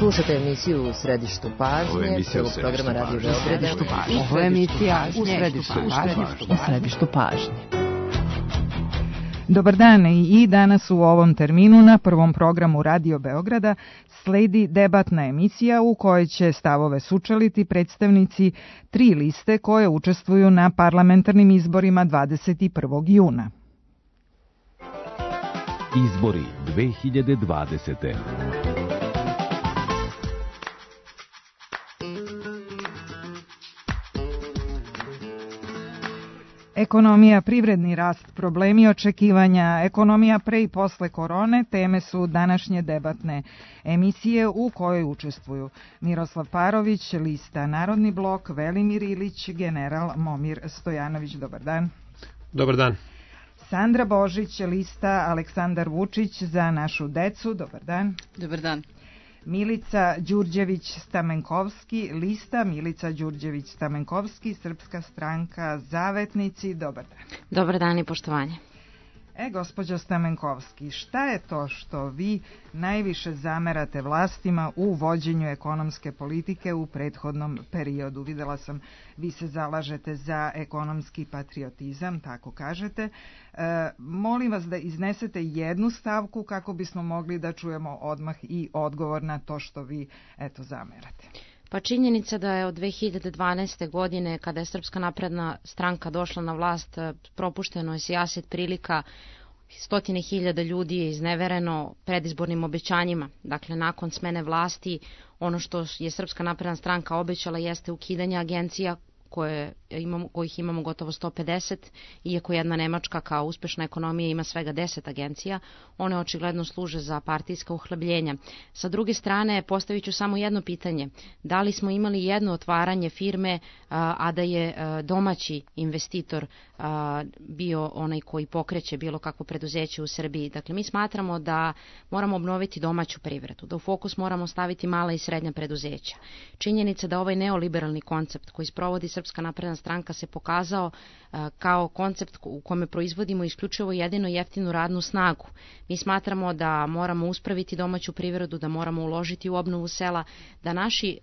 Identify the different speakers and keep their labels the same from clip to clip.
Speaker 1: Slušate emisiju U središtu pažnje, prvog programa Radio Beograda.
Speaker 2: Ovo je emisija U središtu pažnje. Dobar dan i danas u ovom terminu na prvom programu Radio Beograda sledi debatna emisija u kojoj će stavove sučeliti predstavnici 3 liste koje učestvuju na parlamentarnim izborima 21. juna.
Speaker 3: Izbori 2020.
Speaker 2: Ekonomija, privredni rast, problemi očekivanja, ekonomija pre i posle korone, teme su današnje debatne emisije u kojoj učestvuju Miroslav Parović, lista Narodni blok, Velimir Ilić, general Momir Stojanović. Dobar dan.
Speaker 4: Dobar dan.
Speaker 2: Sandra Božić, lista Aleksandar Vučić, Za našu decu. Dobar dan.
Speaker 5: Dobar dan.
Speaker 2: Milica Đurđević-Stamenkovski, lista Milica Đurđević-Stamenkovski, Srpska stranka Zavetnici. Dobar dan.
Speaker 5: Dobar dan i poštovanje.
Speaker 2: Gospođo Stamenkovski, šta je to što vi najviše zamerate vlastima u vođenju ekonomske politike u prethodnom periodu? Videla sam, vi se zalažete za ekonomski patriotizam, tako kažete. Molim vas da iznesete jednu stavku kako bismo mogli da čujemo odmah i odgovor na to što vi, zamerate.
Speaker 5: Pa činjenica da je od 2012. godine, kada je Srpska napredna stranka došla na vlast, propušteno je sijaset prilika, 100.000 ljudi je iznevereno predizbornim obećanjima. Dakle, nakon smene vlasti, ono što je Srpska napredna stranka obećala jeste ukidanje agencija kojih imamo gotovo 150, iako jedna Nemačka kao uspešna ekonomija ima svega 10 agencija, one očigledno služe za partijska uhlebljenja. Sa druge strane, postavit ću samo jedno pitanje. Da li smo imali jedno otvaranje firme, a da je domaći investitor bio onaj koji pokreće bilo kakvo preduzeće u Srbiji? Dakle, mi smatramo da moramo obnoviti domaću privredu, da u fokus moramo staviti mala i srednja preduzeća. Činjenica da ovaj neoliberalni koncept koji sprovodi Srpska napredna stranka se pokazao kao koncept u kome proizvodimo isključivo jedino jeftinu radnu snagu. Mi smatramo da moramo uspraviti domaću privredu, da moramo uložiti u obnovu sela, da naši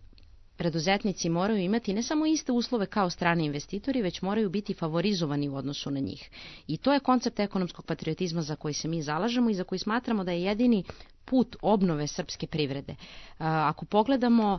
Speaker 5: preduzetnici moraju imati ne samo iste uslove kao strani investitori, već moraju biti favorizovani u odnosu na njih. I to je koncept ekonomskog patriotizma za koji se mi zalažemo i za koji smatramo da je jedini put obnove srpske privrede. Ako pogledamo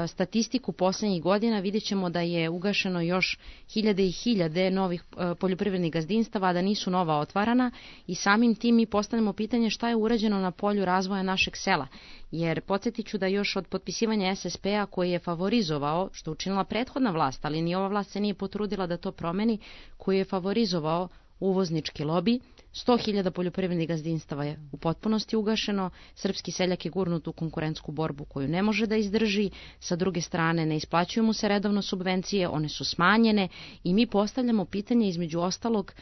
Speaker 5: statistiku poslednjih godina, vidjet ćemo da je ugašeno još hiljade i hiljade novih poljoprivrednih gazdinstava, a da nisu nova otvarana, i samim tim mi postavljamo pitanje šta je urađeno na polju razvoja našeg sela. Jer podsjetit ću da još od potpisivanja SSP-a koji je favorizovao, što učinila prethodna vlast, ali ni ova vlast se nije potrudila da to promeni, koji je favorizovao uvoznički lobi, 100.000 poljoprivrednih gazdinstava je u potpunosti ugašeno, srpski seljak je gurnut u konkurentsku borbu koju ne može da izdrži, sa druge strane ne isplaćuju mu se redovno subvencije, one su smanjene i mi postavljamo pitanje između ostalog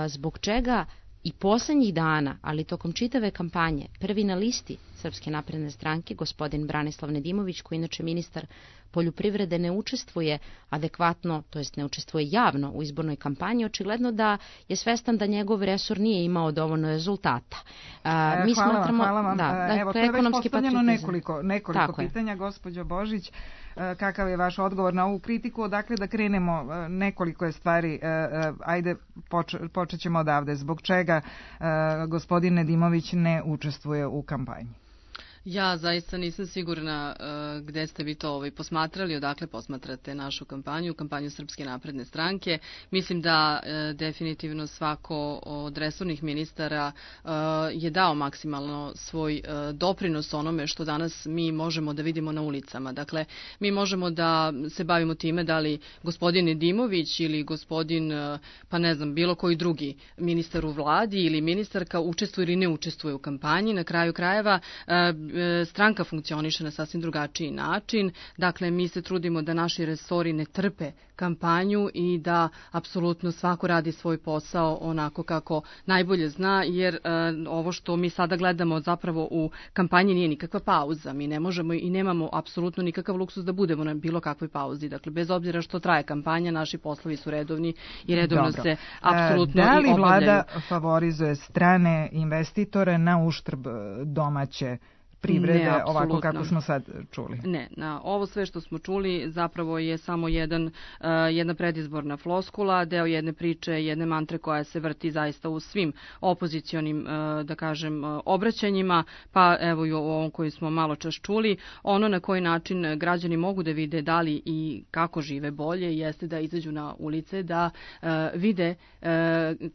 Speaker 5: zbog čega i poslednjih dana, ali tokom čitave kampanje, prvi na listi Srpske napredne stranke, gospodin Branislav Nedimović, koji inače ministar poljoprivrede, ne učestvuje adekvatno, to jest ne učestvuje javno u izbornoj kampanji, očigledno da je svestan da njegov resor nije imao dovoljno rezultata.
Speaker 2: Hvala vam. Evo, to je već postavljeno nekoliko pitanja, gospođo Božić. Kakav je vaš odgovor na ovu kritiku? Odakle da krenemo? Nekoliko je stvari. Ajde, počet ćemo odavde. Zbog čega gospodin Nedimović ne učestvuje u kampanji?
Speaker 6: Ja zaista nisam sigurna gde ste vi to posmatrali, odakle posmatrate našu kampanju Srpske napredne stranke. Mislim da definitivno svako od resornih ministara je dao maksimalno svoj doprinos onome što danas mi možemo da vidimo na ulicama. Dakle, mi možemo da se bavimo time da li gospodin Nedimović ili gospodin, bilo koji drugi ministar u vladi ili ministarka učestvuje ili ne učestvuje u kampanji. Na kraju krajeva stranka funkcioniše na sasvim drugačiji način. Dakle, mi se trudimo da naši resori ne trpe kampanju i da apsolutno svako radi svoj posao onako kako najbolje zna, jer ovo što mi sada gledamo zapravo u kampanji nije nikakva pauza. Mi ne možemo i nemamo apsolutno nikakav luksus da budemo na bilo kakvoj pauzi. Dakle, bez obzira što traje kampanja, naši poslovi su redovni i redovno se apsolutno i obavljaju.
Speaker 2: Da li vlada favorizuje strane investitore na uštrb domaće privrede ovako kako smo sad čuli?
Speaker 6: Ne, na ovo sve što smo čuli zapravo je samo jedna predizborna floskula, deo jedne priče, jedne mantre koja se vrti zaista u svim opozicionim, da kažem, obraćanjima, pa evo i u ovom koji smo malo čas čuli. Ono na koji način građani mogu da vide da li i kako žive bolje jeste da izađu na ulice, da vide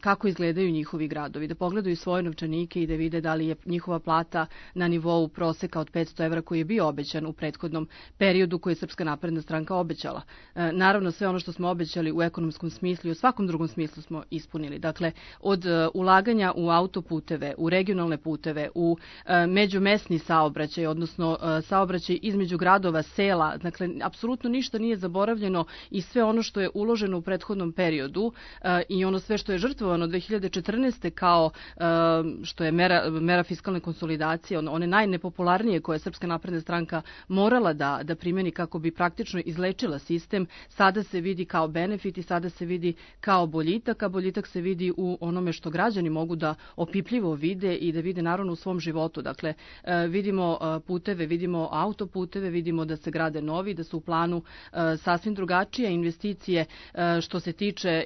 Speaker 6: kako izgledaju njihovi gradovi, da pogledaju svoje novčanike i da vide da li je njihova plata na nivou proseka od 500 evra koji je bio obećan u prethodnom periodu koji je Srpska napredna stranka obećala. Naravno, sve ono što smo obećali u ekonomskom smislu i u svakom drugom smislu smo ispunili. Dakle, od ulaganja u autoputeve, u regionalne puteve, u međumesni saobraćaj, odnosno saobraćaj između gradova, sela, dakle, apsolutno ništa nije zaboravljeno i sve ono što je uloženo u prethodnom periodu i ono sve što je žrtvovano 2014. kao što je mera fiskalne konsolidacije, one najnepopularnije koje je Srpska napredna stranka morala da primeni kako bi praktično izlečila sistem, sada se vidi kao benefit i sada se vidi kao boljitak, a boljitak se vidi u onome što građani mogu da opipljivo vide i da vide naravno u svom životu. Dakle, vidimo puteve, vidimo autoputeve, vidimo da se grade novi, da su u planu sasvim drugačije investicije što se tiče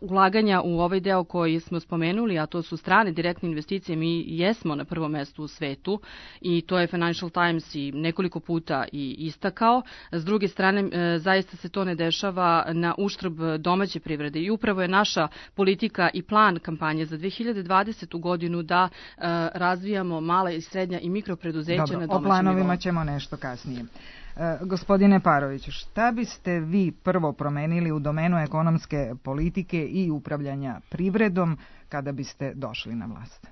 Speaker 6: ulaganja u ovaj deo koji smo spomenuli, a to su strane direktne investicije. Mi jesmo na prvom mestu u svetu i to je Financial Times i nekoliko puta i istakao. S druge strane, zaista se to ne dešava na uštrb domaće privrede i upravo je naša politika i plan kampanje za 2020. godinu da razvijamo mala i srednja i mikropreduzeća na domaćem nivou.
Speaker 2: O planovima ćemo nešto kasnije. Gospodine Paroviću, šta biste vi prvo promenili u domenu ekonomske politike i upravljanja privredom kada biste došli na vlast?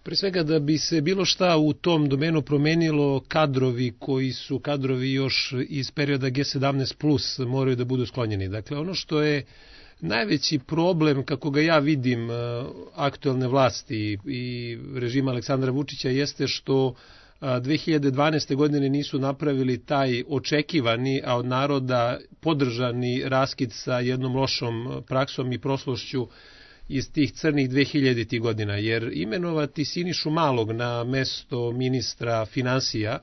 Speaker 4: Pre svega da bi se bilo šta u tom domenu promenilo, kadrovi koji su kadrovi još iz perioda G17+, moraju da budu sklonjeni. Dakle, ono što je najveći problem, kako ga ja vidim, aktuelne vlasti i režima Aleksandra Vučića jeste što 2012. godine nisu napravili taj očekivani, a od naroda podržani raskid sa jednom lošom praksom i prošlošću iz tih crnih 2000. godina, jer imenovati Sinišu Malog na mesto ministra finansija,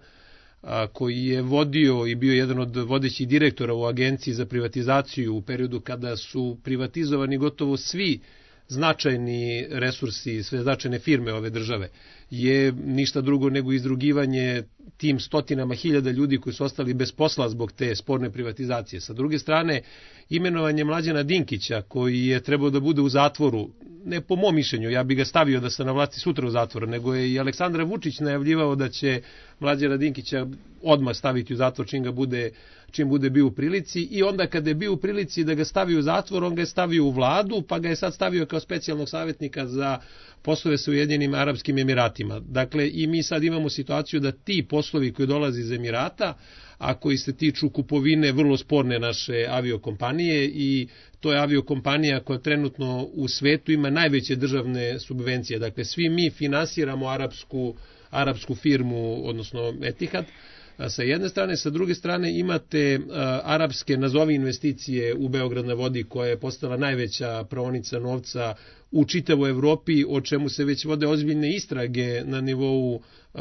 Speaker 4: koji je vodio i bio jedan od vodećih direktora u Agenciji za privatizaciju u periodu kada su privatizovani gotovo svi značajni resursi, sve značajne firme ove države, je ništa drugo nego izdrugivanje tim stotinama hiljada ljudi koji su ostali bez posla zbog te sporne privatizacije. Sa druge strane, imenovanje Mlađana Dinkića, koji je trebao da bude u zatvoru, ne po mom mišljenju, ja bi ga stavio da se na vlasti sutra u zatvoru, nego je i Aleksandar Vučić najavljivao da će Mlađana Dinkića odmah staviti u zatvor čim bude bio u prilici, i onda kada je bio u prilici da ga stavi u zatvor, on ga je stavio u vladu, pa ga je sad stavio kao specijalnog savjetnika za poslove sa Ujedinjenim Arapskim Emiratima. Dakle, i mi sad imamo situaciju da ti poslovi koji dolaze iz Emirata, a koji se tiču kupovine vrlo sporne naše aviokompanije, i to je aviokompanija koja trenutno u svetu ima najveće državne subvencije. Dakle, svi mi finansiramo arapsku firmu, odnosno Etihad, sa jedne strane. Sa druge strane imate arapske nazovi investicije u Beograd na vodi, koja je postala najveća praonica novca u čitavoj Evropi, o čemu se već vode ozbiljne istrage na nivou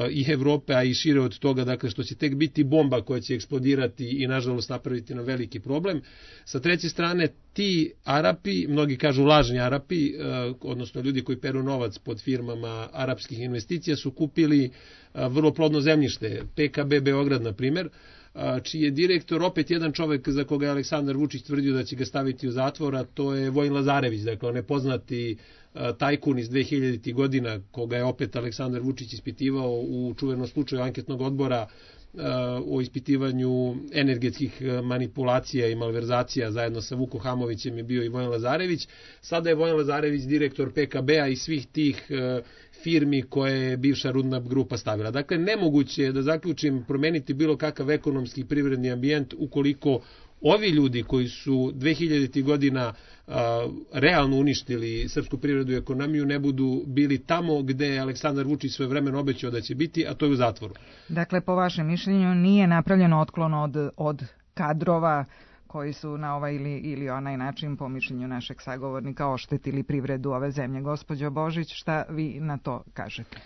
Speaker 4: i Evrope, a i šire od toga, dakle, što će tek biti bomba koja će eksplodirati i nažalost napraviti nam veliki problem. Sa treće strane, ti Arapi, mnogi kažu lažni Arapi, odnosno ljudi koji peru novac pod firmama arapskih investicija, su kupili vrlo plodno zemljište, PKB Beograd, na primjer, čiji je direktor opet jedan čovek za koga je Aleksandar Vučić tvrdio da će ga staviti u zatvor, a to je Vojin Lazarević, dakle on je poznati tajkun iz 2000. godina, koga je opet Aleksandar Vučić ispitivao u čuvenom slučaju anketnog odbora o ispitivanju energetskih manipulacija i malverzacija. Zajedno sa Vukom Hamovićem je bio i Vojin Lazarević. Sada je Vojin Lazarević direktor PKB-a i svih tih firmi koje je bivša Rudna grupa stavila. Dakle, nemoguće je, da zaključim, promeniti bilo kakav ekonomski i privredni ambijent ukoliko ovi ljudi koji su 2000. godina realno uništili srpsku privredu i ekonomiju ne budu bili tamo gde je Aleksandar Vučić svojevremeno obećao da će biti, a to je u zatvoru.
Speaker 2: Dakle, po vašem mišljenju nije napravljen otklon od kadrova koji su na ovaj ili onaj način, po mišljenju našeg sagovornika, oštetili privredu ove zemlje. Gospođo Božić, šta vi na to kažete?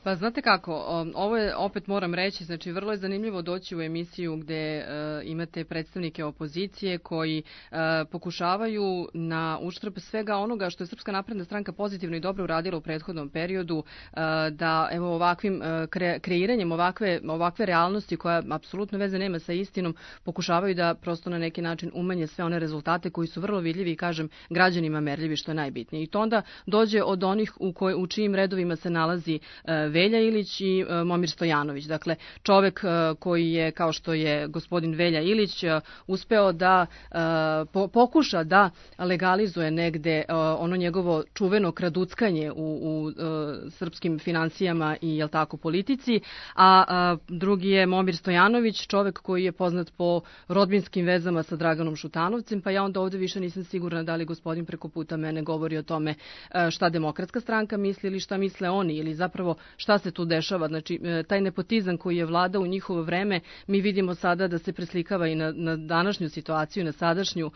Speaker 6: Pa znate kako, ovo je, opet moram reći, znači vrlo je zanimljivo doći u emisiju gde imate predstavnike opozicije koji pokušavaju na uštrb svega onoga što je Srpska napredna stranka pozitivno i dobro uradila u prethodnom periodu, da evo ovakvim kreiranjem ovakve realnosti koja apsolutno veze nema sa istinom, pokušavaju da prosto na neki način umanje sve one rezultate koji su vrlo vidljivi i kažem građanima merljivi, što je najbitnije. I to onda dođe od onih u čijim redovima se nalazi Velja Ilić i Momir Stojanović. Dakle, čovek koji je, kao što je gospodin Velja Ilić, uspeo da pokuša da legalizuje negde ono njegovo čuveno kraduckanje u srpskim financijama i jel tako politici, a drugi je Momir Stojanović, čovek koji je poznat po rodbinskim vezama sa Draganom Šutanovcem, pa ja onda ovde više nisam sigurna da li gospodin preko puta mene govori o tome šta Demokratska stranka misli ili šta misle oni ili zapravo šta se tu dešava. Znači, taj nepotizam koji je vladao u njihovo vreme, mi vidimo sada da se preslikava i na današnju situaciju, na sadašnju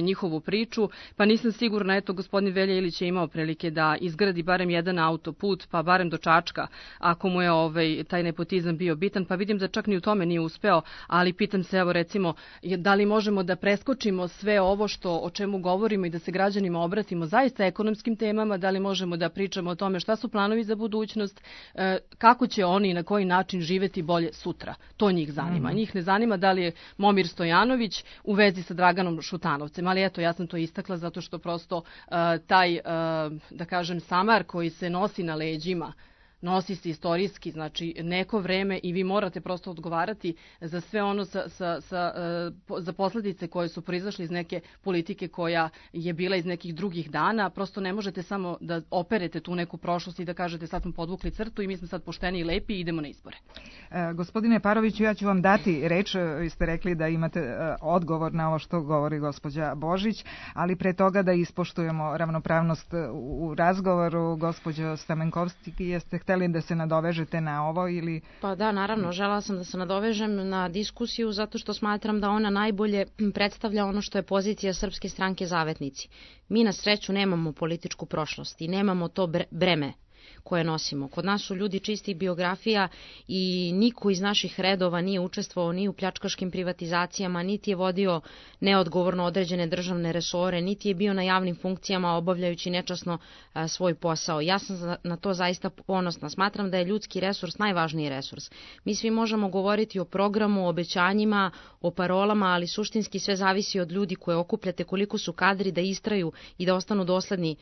Speaker 6: njihovu priču, pa nisam sigurna, eto, gospodin Velja Ilić je imao prilike da izgradi barem jedan autoput, pa barem do Čačka, ako mu je taj nepotizam bio bitan, pa vidim da čak ni u tome nije uspeo, ali pitam se, evo recimo, da li možemo da preskočimo sve ovo o čemu govorimo i da se građanima obratimo zaista ekonomskim temama, da li možemo da pričamo o tome šta su planovi za budućnost, kako će oni i na koji način živeti bolje sutra. To njih zanima. Njih ne zanima da li je Momir Stojanović u vezi sa Draganom Šutanovcem, ali eto, ja sam to istakla zato što prosto taj, da kažem, samar koji se nosi na leđima, nosi se istorijski, znači neko vreme i vi morate prosto odgovarati za sve ono za posledice koje su proizašle iz neke politike koja je bila iz nekih drugih dana. Prosto ne možete samo da operete tu neku prošlost i da kažete sad smo podvukli crtu i mi smo sad pošteni i lepi i idemo na izbore.
Speaker 2: Gospodine Paroviću, ja ću vam dati reč, vi ste rekli da imate odgovor na ovo što govori gospođa Božić, ali pre toga da ispoštujemo ravnopravnost u razgovoru. Gospođo Stamenkovski, jeste hteli da se nadovežete na ovo ili...
Speaker 5: Pa da, naravno, želela sam da se nadovežem na diskusiju zato što smatram da ona najbolje predstavlja ono što je pozicija Srpske stranke Zavetnici. Mi na sreću nemamo političku prošlost i nemamo to breme koje nosimo. Kod nas su ljudi čistih biografija i niko iz naših redova nije učestvovao ni u pljačkaškim privatizacijama, niti je vodio neodgovorno određene državne resore, niti je bio na javnim funkcijama obavljajući nečasno svoj posao. Ja sam na to zaista ponosna. Smatram da je ljudski resurs najvažniji resurs. Mi svi možemo govoriti o programu, o obećanjima, o parolama, ali suštinski sve zavisi od ljudi koje okupljate, koliko su kadri da istraju i da ostanu dosledni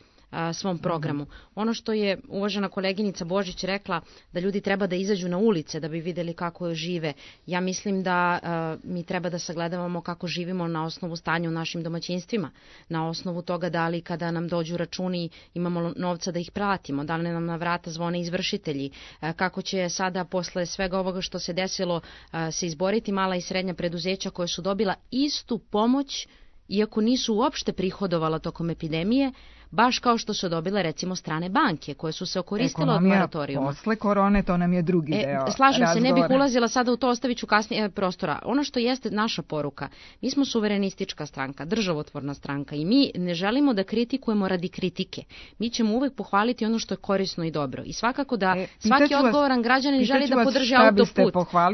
Speaker 5: svom programu. Ono što je uvažena koleginica Božić rekla, da ljudi treba da izađu na ulice da bi videli kako žive. Ja mislim da mi treba da sagledavamo kako živimo na osnovu stanja u našim domaćinstvima, na osnovu toga da li kada nam dođu računi imamo novca da ih platimo, da li nam na vrata zvone izvršitelji, kako će sada posle svega ovoga što se desilo se izboriti mala i srednja preduzeća koje su dobila istu pomoć, iako nisu uopšte prihodovala tokom epidemije, baš kao što su dobile recimo strane banke koje su se okoristile od moratorijuma.
Speaker 2: Posle korone, to nam je drugi deo.
Speaker 5: Slažem se, ne bih ulazila sada u to, ostavit ću kasnije prostora. Ono što jeste naša poruka, mi smo suverenistička stranka, državotvorna stranka i mi ne želimo da kritikujemo radi kritike. Mi ćemo uvek pohvaliti ono što je korisno i dobro. I svakako da svaki odgovoran građanin želi da podrži autoput,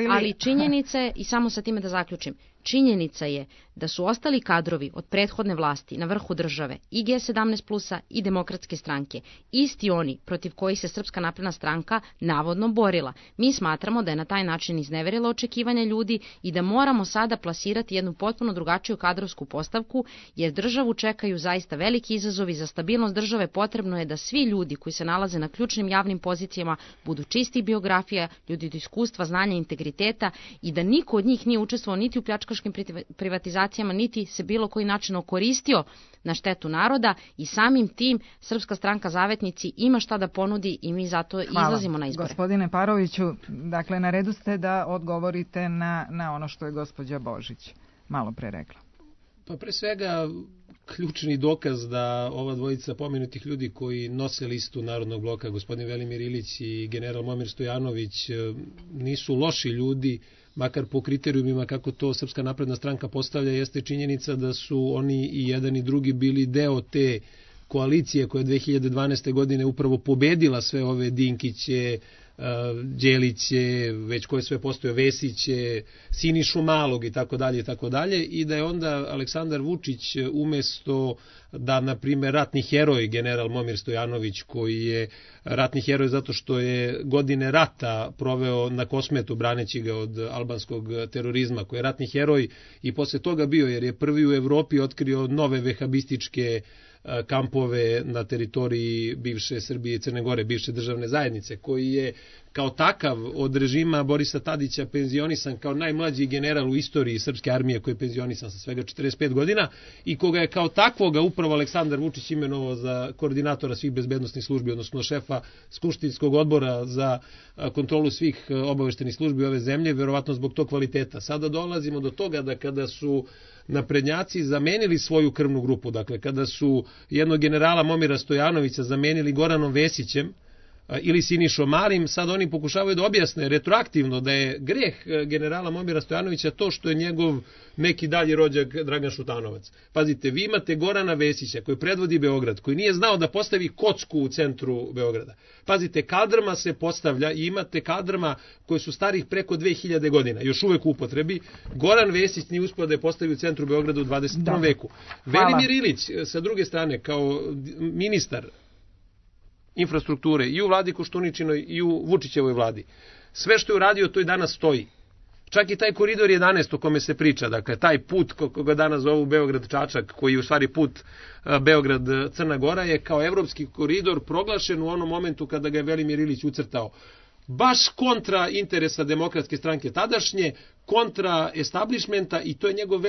Speaker 5: ali činjenice, i samo sa time da zaključim, činjenica je da su ostali kadrovi od prethodne vlasti na vrhu države i G17 plusa i Demokratske stranke, isti oni protiv kojih se Srpska napredna stranka navodno borila. Mi smatramo da je na taj način izneverila očekivanja ljudi i da moramo sada plasirati jednu potpuno drugačiju kadrovsku postavku, jer državu čekaju zaista veliki izazovi. Za stabilnost države potrebno je da svi ljudi koji se nalaze na ključnim javnim pozicijama budu čistih biografija, ljudi od iskustva, znanja, integriteta i da niko od njih nije učestvovao niti u pljačkaškim privatizacijama, niti se bilo koji način okoristio na štetu naroda i samim tim Srpska stranka Zavetnici ima šta da ponudi i mi zato izlazimo na izbore.
Speaker 2: Gospodine Paroviću, dakle na redu ste da odgovorite na ono što je gospođa Božić malo pre rekla.
Speaker 4: Pa pre svega ključni dokaz da ova dvojica pomenutih ljudi koji nose listu Narodnog bloka, gospodin Velimir Ilić i general Momir Stojanović, nisu loši ljudi, makar po kriterijumima kako to Srpska napredna stranka postavlja, jeste činjenica da su oni i jedan i drugi bili deo te koalicije koja je 2012. godine upravo pobedila sve ove Dinkiće, Đeliće, već koje sve postoje, Vesiće, Sinišu Malog i tako dalje, i da je onda Aleksandar Vučić umesto da, na primjer, ratni heroj general Momir Stojanović, koji je ratni heroj zato što je godine rata proveo na Kosmetu braneći ga od albanskog terorizma, koji je ratni heroj i posle toga bio, jer je prvi u Evropi otkrio nove vehabističke kampove na teritoriji bivše Srbije i Crne Gore, bivše državne zajednice, koji je kao takav od režima Borisa Tadića penzionisan kao najmlađi general u istoriji srpske armije, koji je penzionisan sa svega 45 godina i koga je kao takvoga upravo Aleksandar Vučić imenovao za koordinatora svih bezbednosnih službi, odnosno šefa skupštinskog odbora za kontrolu svih obaveštenih službi ove zemlje, verovatno zbog tog kvaliteta. Sada dolazimo do toga da kada su naprednjaci zamenili svoju krvnu grupu, dakle kada su jednog generala Momira Stojanovića zamenili Goranom Vesićem ili Sinišom Malim, sad oni pokušavaju da objasne retroaktivno da je greh generala Momira Stojanovića to što je njegov neki dalji rođak Dragan Šutanovac. Pazite, vi imate Gorana Vesića koji predvodi Beograd, koji nije znao da postavi kocku u centru Beograda. Pazite, kaldrma se postavlja i imate kaldrma koji su starih preko 2000 godina, još uvek u upotrebi. Goran Vesić nije uspio da je postavi u centru Beograda u 21. veku. Velimir Ilić, sa druge strane, kao ministar infrastrukture i u vladi Koštuničinoj i u Vučićevoj vladi, sve što je uradio to i danas stoji. Čak i taj koridor 11 o kome se priča, dakle taj put koga danas zovu Beograd-Čačak, koji je u stvari put Beograd-Crna Gora, je kao evropski koridor proglašen u onom momentu kada ga je Velimir Ilić ucrtao. Baš kontra interesa Demokratske stranke tadašnje, kontra establishmenta, i to je njegov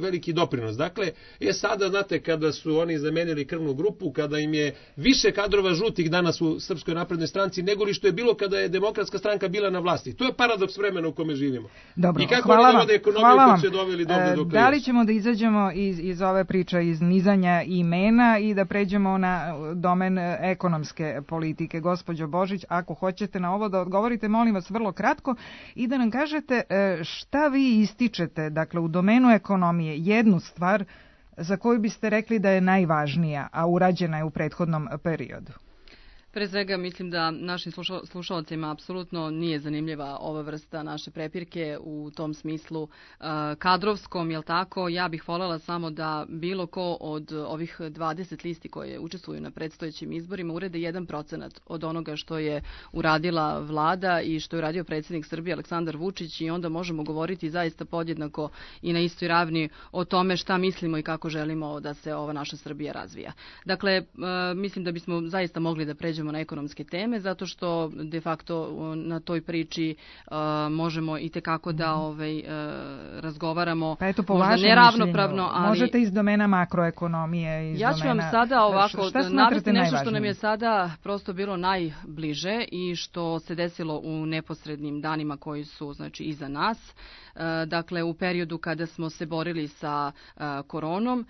Speaker 4: veliki doprinos. Dakle, sada, znate, kada su oni zamenili krvnu grupu, kada im je više kadrova žutih danas u Srpskoj naprednoj stranci nego li što je bilo kada je Demokratska stranka bila na vlasti. To je paradoks vremena u kome živimo.
Speaker 2: Dobro,
Speaker 4: i kako oni dovode ekonomiju koju su doveli do
Speaker 2: da li ćemo da izađemo iz ove priče, iz nizanja imena i da pređemo na domen ekonomske politike? Gospođo Božić, ako hoćete na ovo da odgovorite, molim vas vrlo kratko i da nam kažete šta vi ističete, dakle, u domenu ekonomije, jednu stvar za koju biste rekli da je najvažnija, a urađena je u prethodnom periodu?
Speaker 6: Pre svega mislim da našim slušalcima apsolutno nije zanimljiva ova vrsta naše prepirke u tom smislu kadrovskom, jel tako? Ja bih voljela samo da bilo ko od ovih 20 listi koje učestvuju na predstojećim izborima urede 1% od onoga što je uradila vlada i što je uradio predsjednik Srbije Aleksandar Vučić, i onda možemo govoriti zaista podjednako i na istoj ravni o tome šta mislimo i kako želimo da se ova naša Srbija razvija. Dakle, mislim da bismo zaista mogli da pređemo na ekonomske teme, zato što de facto na toj priči možemo i tekako da razgovaramo,
Speaker 2: pa eto, po
Speaker 6: možda neravnopravno, ali
Speaker 2: možete iz domena makroekonomije, iz
Speaker 6: ja ću vam sada ovako navesti nešto što nam je sada prosto bilo najbliže i što se desilo u neposrednim danima koji su, znači, iza nas. Dakle, u periodu kada smo se borili sa koronom,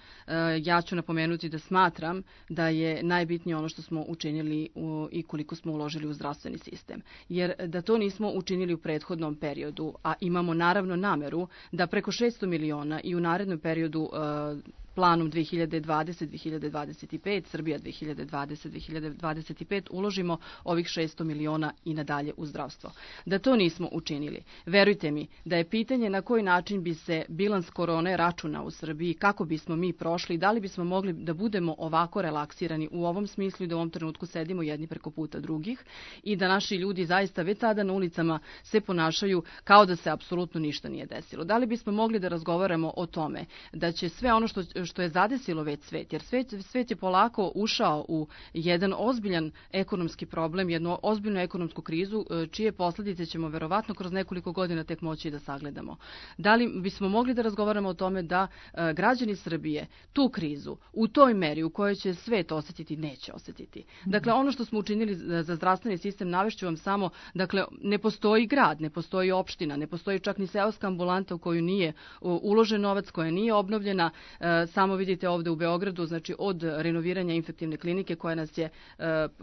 Speaker 6: ja ću napomenuti da smatram da je najbitnije ono što smo učinili i koliko smo uložili u zdravstveni sistem. Jer da to nismo učinili u prethodnom periodu, a imamo naravno nameru da preko 600 miliona i u narednom periodu planom 2020-2025, Srbija 2020-2025, uložimo ovih 600 miliona i nadalje u zdravstvo. Da to nismo učinili, verujte mi da je pitanje na koji način bi se bilans korone računao u Srbiji, kako bismo mi prošli, da li bismo mogli da budemo ovako relaksirani u ovom smislu i da u ovom trenutku sedimo jedni preko puta drugih i da naši ljudi zaista već sada na ulicama se ponašaju kao da se apsolutno ništa nije desilo. Da li bismo mogli da razgovaramo o tome da će sve ono što je zadesilo već svet, jer svet je polako ušao u jedan ozbiljan ekonomski problem, jednu ozbiljnu ekonomsku krizu, čije posljedice ćemo verovatno kroz nekoliko godina tek moći da sagledamo. Da li bismo mogli da razgovaramo o tome da građani Srbije tu krizu u toj meri u kojoj će svet osjetiti, neće osjetiti. Dakle, ono što smo učinili za zdravstveni sistem, navešću vam samo, dakle, ne postoji grad, ne postoji opština, ne postoji čak ni seoska ambulanta u koju nije uložen novac, koja nije obnovljena. samo vidite ovde u Beogradu, znači od renoviranja infektivne klinike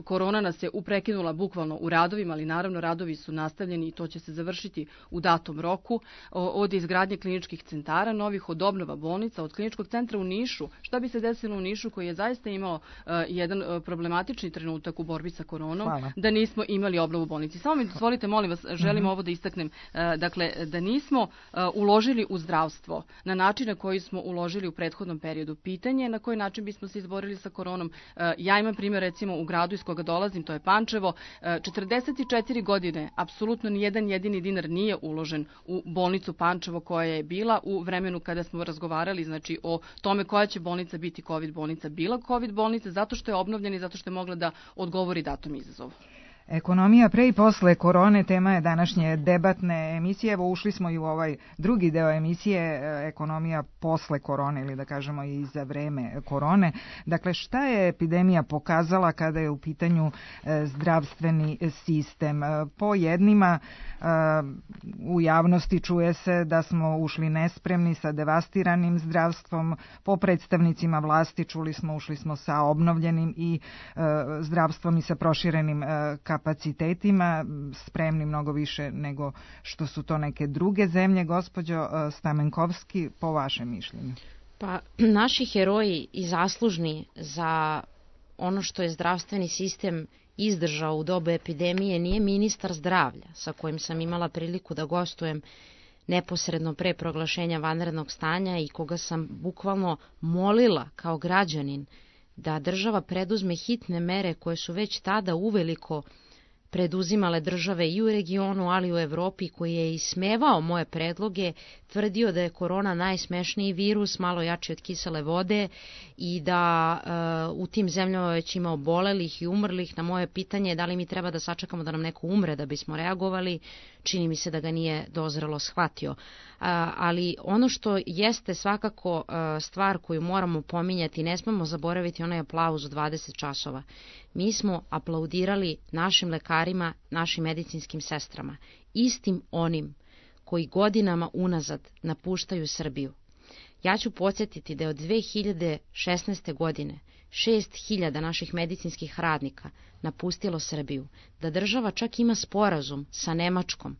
Speaker 6: korona nas je uprekinula bukvalno u radovima, ali naravno radovi su nastavljeni i to će se završiti u datom roku, od izgradnje kliničkih centara novih, od obnova bolnica, od kliničkog centra u Nišu. Šta bi se desilo u Nišu koji je zaista imao jedan problematični trenutak u borbi sa koronom, da nismo imali obnovu bolnici. Samo mi dozvolite, molim vas, želim ovo da istaknem, dakle, da nismo uložili u zdravstvo na način na koji smo uložili u prethodnom periodu. Pitanje je na koji način bismo se izborili sa koronom. Ja imam primjer, recimo, u gradu iz koga dolazim, to je Pančevo. 44 godine, apsolutno ni jedan jedini dinar nije uložen u bolnicu Pančevo koja je bila u vremenu kada smo razgovarali, znači, o tome koja će bolnica biti COVID bolnica. Bila COVID bolnica zato što je obnovljena i zato što je mogla da odgovori datom izazovu.
Speaker 2: Ekonomija pre i posle korone tema je današnje debatne emisije. Evo, ušli smo i u ovaj drugi deo emisije, ekonomija posle korone, ili da kažemo i za vreme korone. Dakle, šta je epidemija pokazala kada je u pitanju zdravstveni sistem? Po jednima u javnosti čuje se da smo ušli nespremni sa devastiranim zdravstvom, po predstavnicima vlasti ušli smo sa obnovljenim i zdravstvom i sa proširenim kapacitetima, spremni mnogo više nego što su to neke druge zemlje. Gospođo Stamenkovski, po vašem mišljenju?
Speaker 5: Pa, naši heroji i zaslužni za ono što je zdravstveni sistem izdržao u dobu epidemije nije ministar zdravlja, sa kojim sam imala priliku da gostujem neposredno pre proglašenja vanrednog stanja i koga sam bukvalno molila kao građanin da država preduzme hitne mere koje su već tada uveliko preduzimale države i u regionu, ali i u Evropi, koji je ismevao moje predloge, tvrdio da je korona najsmešniji virus, malo jači od kisele vode i da u tim zemljama već ima obolelih i umrlih. Na moje pitanje da li mi treba da sačekamo da nam neko umre da bismo reagovali, čini mi se da ga nije dozrelo shvatio. Ali ono što jeste svakako stvar koju moramo pominjati, ne smemo zaboraviti onaj aplauz u 20 časova. Mi smo aplaudirali našim lekarima, našim medicinskim sestrama, istim onim koji godinama unazad napuštaju Srbiju. Ja ću podsjetiti da je od 2016. godine 6.000 naših medicinskih radnika napustilo Srbiju, da država čak ima sporazum sa Nemačkom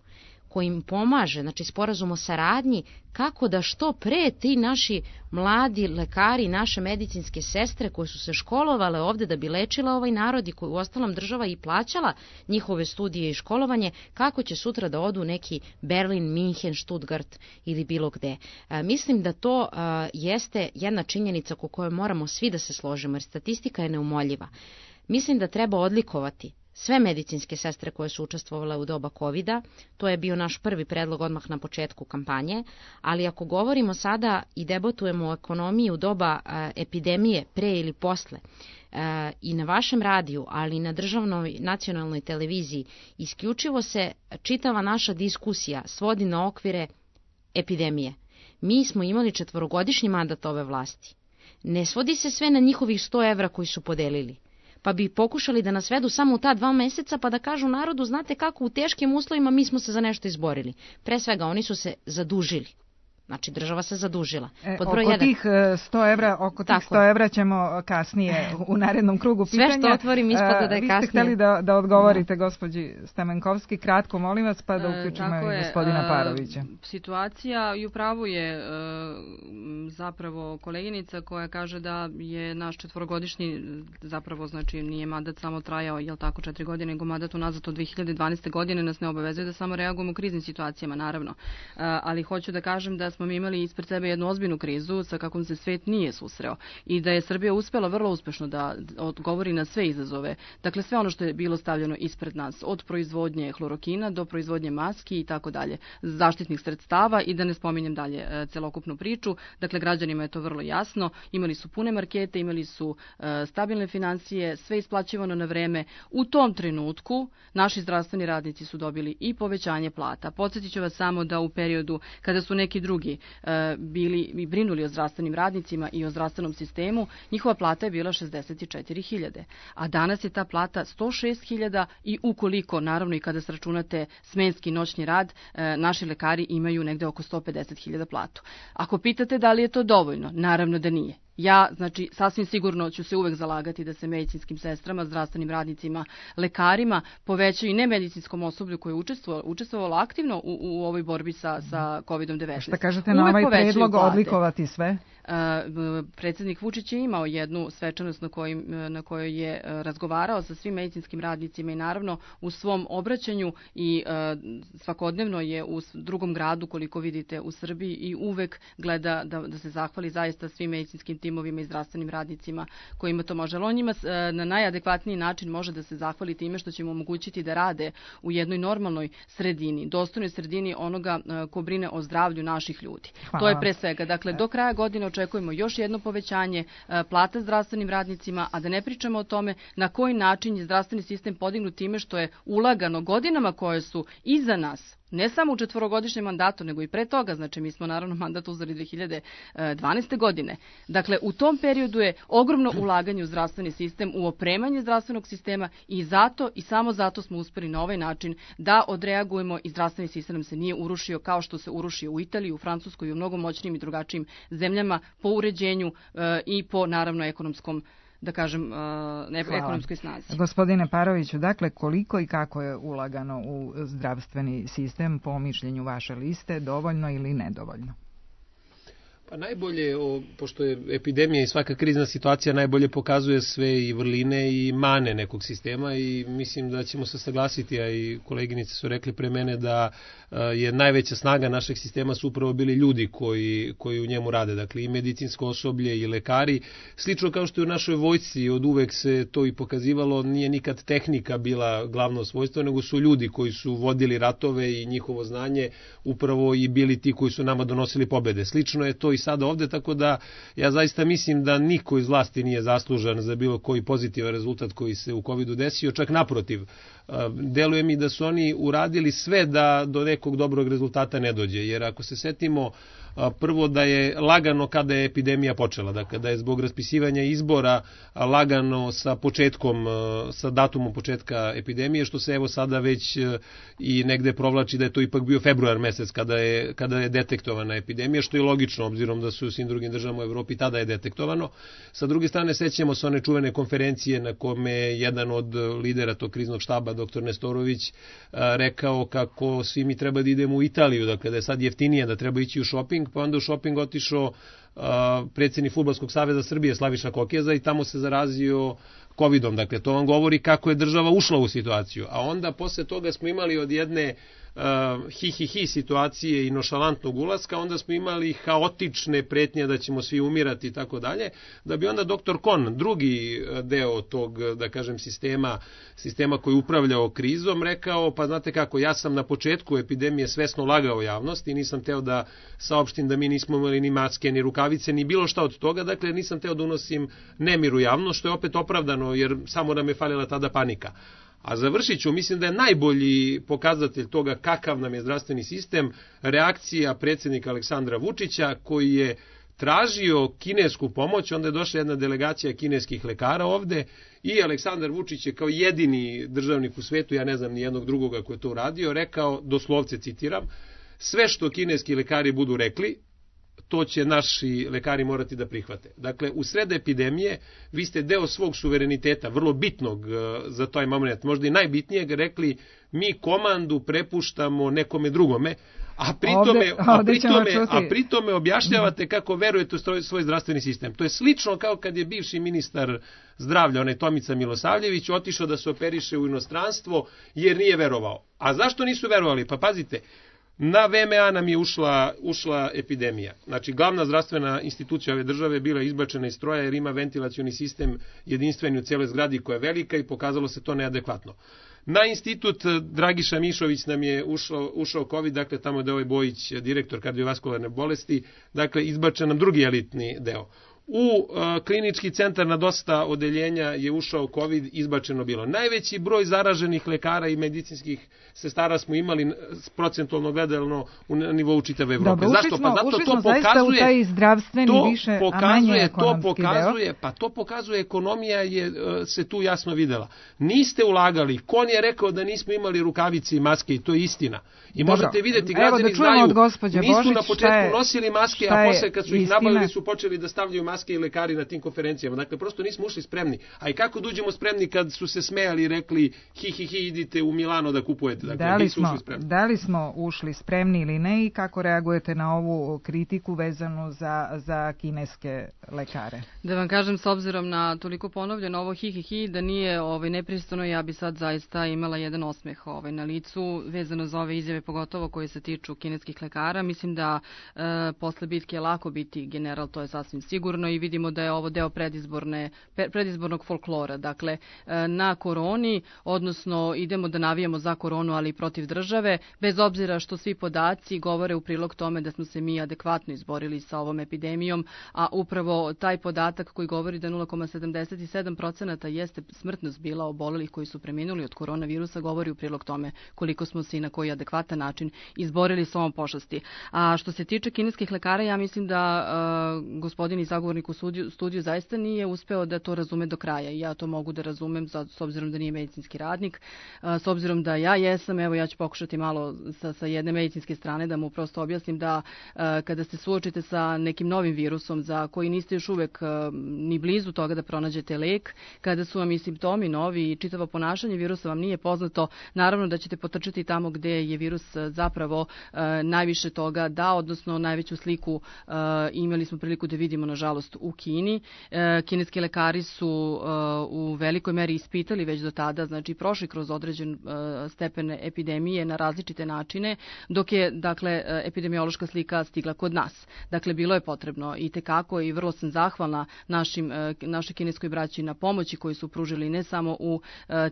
Speaker 5: koji im pomaže, znači sporazum o saradnji, kako da što pre ti naši mladi lekari, naše medicinske sestre koje su se školovale ovde da bi lečila ovaj narod i koju uostalom država i plaćala njihove studije i školovanje, kako će sutra da odu neki Berlin, Minhen, Stuttgart ili bilo gde. Mislim da to jeste jedna činjenica ko kojoj moramo svi da se složimo, jer statistika je neumoljiva. Mislim da treba odlikovati sve medicinske sestre koje su učestvovale u doba COVID-a, to je bio naš prvi predlog odmah na početku kampanje, ali ako govorimo sada i debatujemo o ekonomiji u doba epidemije, pre ili posle, i na vašem radiju, ali i na državnoj nacionalnoj televiziji, isključivo se čitava naša diskusija svodi na okvire epidemije. Mi smo imali 4-godišnji mandat ove vlasti. Ne svodi se sve na njihovih 100 evra koji su podelili, pa bi pokušali da nas svedu samo u ta 2 meseca pa da kažu narodu, znate kako, u teškim uslovima mi smo se za nešto izborili. Pre svega, oni su se zadužili. Znači, država se zadužila.
Speaker 2: Oko tih 100 evra ćemo kasnije u narednom krugu pitanja.
Speaker 5: Sve što otvorim ispada da je kasnije.
Speaker 2: Vi ste hteli da odgovorite gospođi Stamenkovski, kratko molim vas, pa da uključimo i gospodina Parovića.
Speaker 6: Situacija i upravo je zapravo koleginica koja kaže da je naš 4-godišnji, zapravo znači nije mandat samo trajao, jel tako, 4 godine, nego mandat unazad od 2012. godine nas ne obavezuje da samo reagujemo u kriznim situacijama, naravno. Ali hoću da kažem da smo mi imali ispred sebe jednu ozbiljnu krizu sa kakvom se svet nije susreo i da je Srbija uspela vrlo uspešno da odgovori na sve izazove. Dakle, sve ono što je bilo stavljeno ispred nas, od proizvodnje hlorokina do proizvodnje maski i tako dalje, zaštitnih sredstava i da ne spominjem dalje celokupnu priču. Dakle, građanima je to vrlo jasno. Imali su pune markete, imali su stabilne financije, sve isplaćivano na vreme. U tom trenutku naši zdravstveni radnici su dobili i povećanje plata. Podsjetit ću vas samo da u periodu kada su neki drugi drugi bili i brinuli o zdravstvenim radnicima i o zdravstvenom sistemu, njihova plata je bila 64.000, a danas je ta plata 106.000 i ukoliko, naravno i kada sračunate smenski noćni rad, naši lekari imaju negde oko 150.000 platu. Ako pitate da li je to dovoljno, naravno da nije. Ja, znači, sasvim sigurno ću se uvek zalagati da se medicinskim sestrama, zdravstvenim radnicima, lekarima povećaju i nemedicinskom osoblju koje je učestvovalo aktivno u ovoj borbi sa COVID-19.
Speaker 2: Šta kažete na ovaj predlog odlikovati sve?
Speaker 6: Predsjednik Vučić je imao jednu svečanost na kojoj je razgovarao sa svim medicinskim radnicima i naravno u svom obraćanju i svakodnevno je u drugom gradu, koliko vidite, u Srbiji i uvek gleda da se zahvali zaista svim medicinskim timovima i zdravstvenim radnicima kojima to može. Ali on njima na najadekvatniji način može da se zahvali time što će mu omogućiti da rade u jednoj normalnoj sredini, dostojnoj sredini onoga ko brine o zdravlju naših ljudi. Hvala. To je pre svega. Dakle, do kraja godine očekujemo još jedno povećanje plata zdravstvenim radnicima, a da ne pričamo o tome na koji način je zdravstveni sistem podignut time što je ulagano godinama koje su iza nas. Ne samo u 4-godišnjem mandatu, nego i pre toga, znači mi smo naravno mandat uzeli 2012. godine. Dakle, u tom periodu je ogromno ulaganje u zdravstveni sistem, u opremanje zdravstvenog sistema i zato i samo zato smo uspeli na ovaj način da odreagujemo i zdravstveni sistem nam se nije urušio kao što se urušio u Italiji, u Francuskoj i u mnogo moćnijim i drugačijim zemljama po uređenju i po naravno ekonomskom, da kažem, ekonomskoj snazi.
Speaker 2: Gospodine Paroviću, dakle, koliko i kako je ulagano u zdravstveni sistem po mišljenju vaše liste, dovoljno ili nedovoljno?
Speaker 4: Pa najbolje, pošto je epidemija i svaka krizna situacija najbolje pokazuje sve i vrline i mane nekog sistema i mislim da ćemo se saglasiti, a i koleginice su rekli pre mene da je najveća snaga našeg sistema su upravo bili ljudi koji u njemu rade, dakle i medicinsko osoblje i lekari. Slično kao što je u našoj vojsci od uvek se to i pokazivalo, nije nikad tehnika bila glavno svojstvo, nego su ljudi koji su vodili ratove i njihovo znanje upravo i bili ti koji su nama donosili pobede. Slično je to i sada ovde, tako da ja zaista mislim da niko iz vlasti nije zaslužan za bilo koji pozitivan rezultat koji se u COVID-u desio, čak naprotiv. Deluje mi da su oni uradili sve da do nekog dobrog rezultata ne dođe, jer ako se setimo prvo da je lagano kada je epidemija počela, dakle da je zbog raspisivanja izbora lagano sa početkom, sa datumom početka epidemije, što se evo sada već i negde provlači da je to ipak bio februar mesec kada je detektovana epidemija, što je logično obzirom da su u svim drugim državama u Evropi tada je detektovano. Sa druge strane sećamo se one čuvene konferencije na kome je jedan od lidera tog kriznog štaba, dr. Nestorović, rekao kako svi mi treba da idemo u Italiju, dakle da je sad jeftinije, da treba ići u šoping, pa onda u šoping otišao predsjednik Fudbalskog saveza Srbije Slaviša Kokeza i tamo se zarazio COVID-om. Dakle, to vam govori kako je država ušla u situaciju. A onda posle toga smo imali od jedne hi situacije i nošalantnog ulaska, onda smo imali haotične pretnje da ćemo svi umirati i tako dalje, da bi onda dr. Kon, drugi deo tog, da kažem, sistema koji upravljao krizom, rekao, pa znate kako, ja sam na početku epidemije svesno lagao javnost i nisam teo da saopštim da mi nismo imali ni maske, ni rukavice, ni bilo šta od toga, dakle nisam teo da unosim nemir u javnost, što je opet opravdano, jer samo nam je falila tada panika. A završit ću, mislim da je najbolji pokazatelj toga kakav nam je zdravstveni sistem reakcija predsjednika Aleksandra Vučića koji je tražio kinesku pomoć, onda je došla jedna delegacija kineskih lekara ovde i Aleksandar Vučić je kao jedini državnik u svetu, ja ne znam ni jednog drugoga koji je to uradio, rekao, doslovce citiram, sve što kineski lekari budu rekli, to će naši lekari morati da prihvate. Dakle, u sred epidemije vi ste deo svog suvereniteta, vrlo bitnog za taj moment, možda i najbitnijeg, rekli mi komandu prepuštamo nekome drugome, a pritome objašnjavate kako verujete u svoj zdravstveni sistem. To je slično kao kad je bivši ministar zdravlja, onaj Tomica Milosavljević, otišao da se operiše u inostranstvo jer nije verovao. A zašto nisu verovali? Pa pazite, na VMA nam je ušla epidemija. Znači, glavna zdravstvena institucija ove države je bila izbačena iz stroja jer ima ventilacioni sistem jedinstveni u cijeloj zgradi koja je velika i pokazalo se to neadekvatno. Na institut Dragiša Mišović nam je ušao COVID, dakle tamo je ovaj Bojić, direktor kardiovaskularne bolesti, dakle izbačen nam drugi elitni deo. u klinički centar na dosta odeljenja je ušao COVID, izbačeno bilo. Najveći broj zaraženih lekara i medicinskih sestara smo imali procentualno gledano na nivou čitave Evrope.
Speaker 2: Dobro,
Speaker 4: zašto? Pa zato to pokazuje,
Speaker 2: u taj zdravstveni više, a manje ekonomski deo.
Speaker 4: Pa to pokazuje, ekonomija se tu jasno videla. Niste ulagali, kon je rekao da nismo imali rukavice i maske i to je istina. I
Speaker 2: Dobro,
Speaker 4: možete vidjeti, građani znaju, nisu na početku nosili maske, a posle kad su ih nabavili su počeli da stavljaju maske i lekari na tim konferencijama. Dakle, prosto nismo ušli spremni. A i kako dođemo spremni kad su se smejali i rekli hi, idite u Milano da kupujete. Dakle,
Speaker 2: da li smo ušli spremni ili ne i kako reagujete na ovu kritiku vezanu za kineske lekare?
Speaker 6: Da vam kažem, s obzirom na toliko ponovljeno ovo hi, da nije nepristojno, ja bi sad zaista imala jedan osmeh na licu vezano za ove izjave, pogotovo koje se tiču kineskih lekara. Mislim da posle bitke je lako biti general, to je sasvim sigurno, i vidimo da je ovo deo predizbornog folklora. Dakle, na koroni, odnosno idemo da navijamo za koronu, ali i protiv države, bez obzira što svi podaci govore u prilog tome da smo se mi adekvatno izborili sa ovom epidemijom, a upravo taj podatak koji govori da 0,77% jeste smrtnost bila obolelih koji su preminuli od koronavirusa, govori u prilog tome koliko smo se i na koji adekvatan način izborili s ovom pošasti. A što se tiče kineskih lekara, ja mislim da gospodin i sagovornik u studiju zaista nije uspeo da to razume do kraja. I ja to mogu da razumem s obzirom da nije medicinski radnik, s obzirom da ja jesam, evo ja ću pokušati malo sa jedne medicinske strane da mu prosto objasnim da kada se suočite sa nekim novim virusom za koji niste još uvek ni blizu toga da pronađete lek, kada su vam i simptomi novi i čitavo ponašanje virusa vam nije poznato, naravno da ćete potrčati tamo gde je virus zapravo najviše toga dao, odnosno najveću sliku imali smo priliku da vidimo nažalost u Kini. Kineski lekari su u velikoj meri ispitali već do tada, znači prošli kroz određen stepen epidemije na različite načine, dok je dakle epidemiološka slika stigla kod nas. Dakle, bilo je potrebno i tekako i vrlo sam zahvalna našoj kineskoj braći na pomoći koju su pružili ne samo u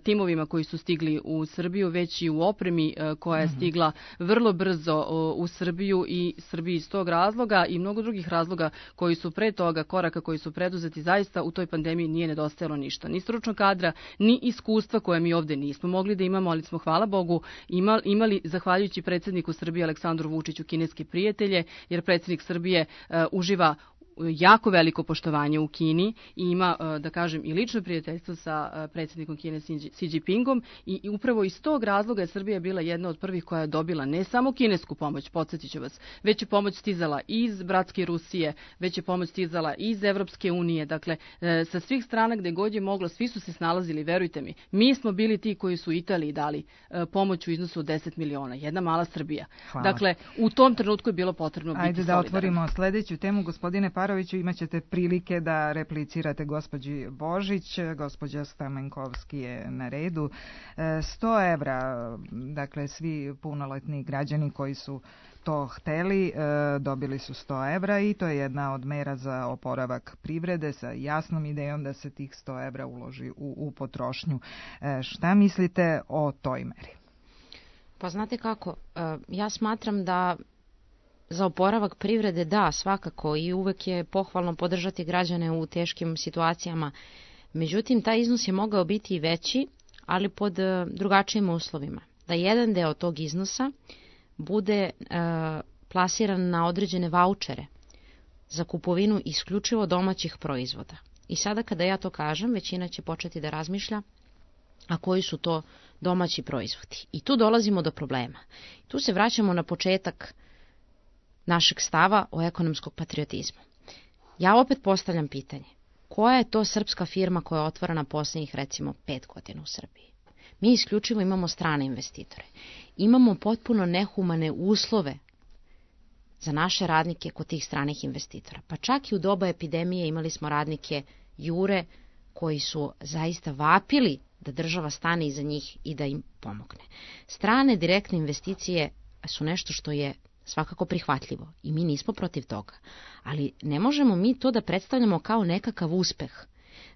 Speaker 6: timovima koji su stigli u Srbiju, već i u opremi koja je stigla vrlo brzo u Srbiju i Srbiji iz tog razloga i mnogo drugih razloga koji su pre toga, koraka koji su preduzeti, zaista u toj pandemiji nije nedostajalo ništa. Ni stručnog kadra, ni iskustva koje mi ovde nismo mogli da imamo, ali smo, hvala Bogu, imali zahvaljujući predsjedniku Srbije Aleksandru Vučiću kineske prijatelje, jer predsjednik Srbije uživa jako veliko poštovanje u Kini i ima, da kažem, i lično prijateljstvo sa predsjednikom Kine Xi Jinpingom i upravo iz tog razloga je Srbija bila jedna od prvih koja je dobila ne samo kinesku pomoć, podsjetit ću vas, već je pomoć stizala iz bratske Rusije, već je pomoć stizala iz Evropske unije, dakle, sa svih strana gde god je moglo, svi su se snalazili, verujte mi. Mi smo bili ti koji su Italiji dali pomoć u iznosu od 10 miliona, jedna mala Srbija.
Speaker 2: Hvala.
Speaker 6: Dakle, u tom trenutku je bilo potrebno biti solidaran.
Speaker 2: Ajde da otvorimo sledeću temu, gospodine Paroviću, imat ćete prilike da replicirate gospođi Božić, gospođa Stamenkovski je na redu. 100 evra, dakle svi punoletni građani koji su to hteli, dobili su 100 evra i to je jedna od mera za oporavak privrede sa jasnom idejom da se tih 100 evra uloži u potrošnju. Šta mislite o toj meri?
Speaker 5: Pa znate kako, ja smatram da za oporavak privrede da, svakako, i uvek je pohvalno podržati građane u teškim situacijama. Međutim, taj iznos je mogao biti i veći, ali pod drugačijim uslovima. Da jedan deo tog iznosa bude plasiran na određene vaučere za kupovinu isključivo domaćih proizvoda. I sada kada ja to kažem, većina će početi da razmišlja a koji su to domaći proizvodi. I tu dolazimo do problema. Tu se vraćamo na početak našeg stava o ekonomskog patriotizmu. Ja opet postavljam pitanje, koja je to srpska firma koja je otvorena posljednjih recimo 5 godina u Srbiji? Mi isključivo imamo strane investitore. Imamo potpuno nehumane uslove za naše radnike kod tih stranih investitora. Pa čak i u doba epidemije imali smo radnike Jure koji su zaista vapili da država stane iza njih i da im pomogne. Strane direktne investicije su nešto što je svakako prihvatljivo i mi nismo protiv toga, ali ne možemo mi to da predstavljamo kao nekakav uspeh.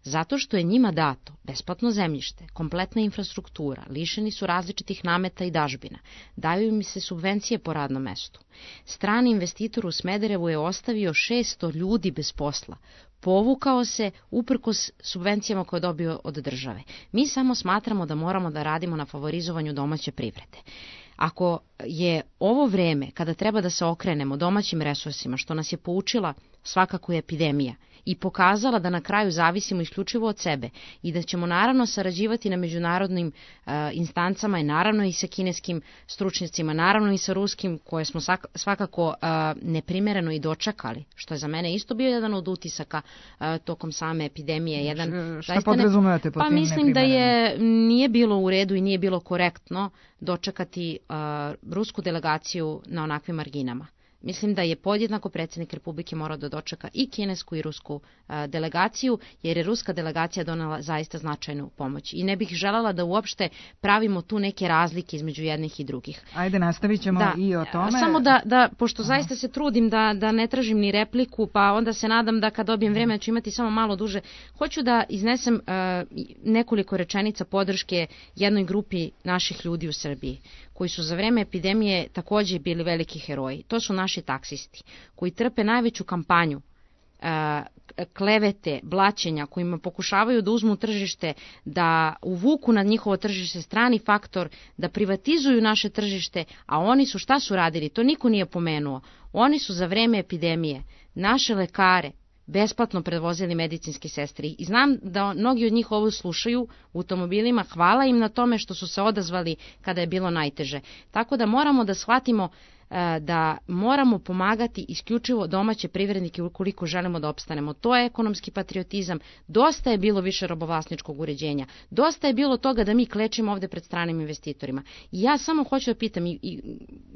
Speaker 5: Zato što je njima dato besplatno zemljište, kompletna infrastruktura, lišeni su različitih nameta i dažbina, daju im se subvencije po radnom mestu. Strani investitor u Smederevu je ostavio 600 ljudi bez posla, povukao se uprkos subvencijama koje je dobio od države. Mi samo smatramo da moramo da radimo na favorizovanju domaće privrede. Ako je ovo vreme kada treba da se okrenemo domaćim resursima, što nas je poučila svakako je epidemija i pokazala da na kraju zavisimo isključivo od sebe i da ćemo naravno sarađivati na međunarodnim instancama i naravno i sa kineskim stručnjacima, naravno i sa ruskim koje smo svakako neprimereno i dočekali, što je za mene isto bio jedan od utisaka tokom same epidemije.
Speaker 2: Šta podrazumevate po tim
Speaker 5: mislim da nije bilo u redu i nije bilo korektno dočekati rusku delegaciju na onakvim marginama. Mislim da je podjednako predsjednik Republike morao da dočeka i kinesku i rusku delegaciju, jer je ruska delegacija donela zaista značajnu pomoć. I ne bih željela da uopšte pravimo tu neke razlike između jednih i drugih.
Speaker 2: Ajde, nastavit ćemo i o tome.
Speaker 5: Samo pošto zaista se trudim da ne tražim ni repliku, pa onda se nadam da kad dobijem vreme ću imati samo malo duže. Hoću da iznesem nekoliko rečenica podrške jednoj grupi naših ljudi u Srbiji, koji su za vreme epidemije također bili veliki heroji. To su naši taksisti, koji trpe najveću kampanju klevete, blaćenja, kojima pokušavaju da uzmu tržište, da uvuku na njihovo tržište strani faktor, da privatizuju naše tržište, a oni su šta su radili? To niko nije pomenuo. Oni su za vreme epidemije naše lekare besplatno prevozili medicinske sestre. I znam da mnogi od njih ovo slušaju u automobilima, hvala im na tome što su se odazvali kada je bilo najteže. Tako da moramo da shvatimo da moramo pomagati isključivo domaće privrednike ukoliko želimo da opstanemo. To je ekonomski patriotizam. Dosta je bilo više robovlasničkog uređenja. Dosta je bilo toga da mi klečimo ovde pred stranim investitorima. I ja samo hoću da pitam i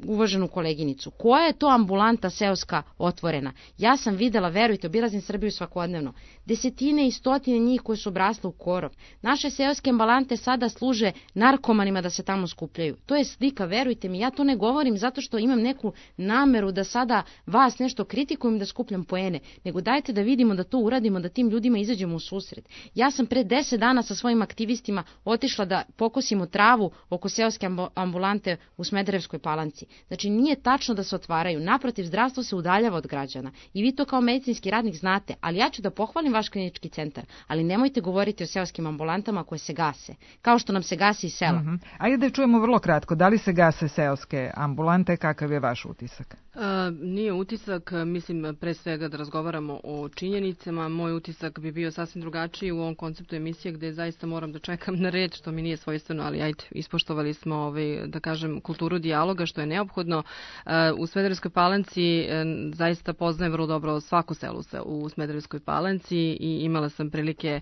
Speaker 5: uvaženu koleginicu, koja je to ambulanta seoska otvorena? Ja sam videla, verujte, obilazim Srbiju svakodnevno, desetine i stotine njih koje su obrasle u korov. Naše seoske ambulante sada služe narkomanima da se tamo skupljaju. To je slika, verujte mi, ja to ne govorim zato što imam neku nameru da sada vas nešto kritikujem da skupljam poene, nego dajte da vidimo da to uradimo, da tim ljudima izađemo u susret. Ja sam pre 10 dana sa svojim aktivistima otišla da pokosimo travu oko seoske ambulante u Smederevskoj Palanci. Znači nije tačno da se otvaraju, naprotiv, zdravstvo se udaljava od građana i vi to kao medicinski radnik znate, ali ja ću da pohvalim vaš klinički centar, ali nemojte govoriti o seoskim ambulantama koje se gase, kao što nam se gasi iz sela.
Speaker 2: Ajde da čujemo vrlo kratko, da li se gase seoske ambulante, kakav je vaš utisak?
Speaker 6: Nije utisak, mislim pre svega da razgovaramo o činjenicama. Moj utisak bi bio sasvim drugačiji u ovom konceptu emisije gde zaista moram da čekam na reč, što mi nije svojstveno, ali ajde, ispoštovali smo da kažem kulturu dijaloga, što je neophodno. U Smederevskoj Palanci zaista poznajem vrlo dobro svako selo u Smederevskoj Palanci i imala sam prilike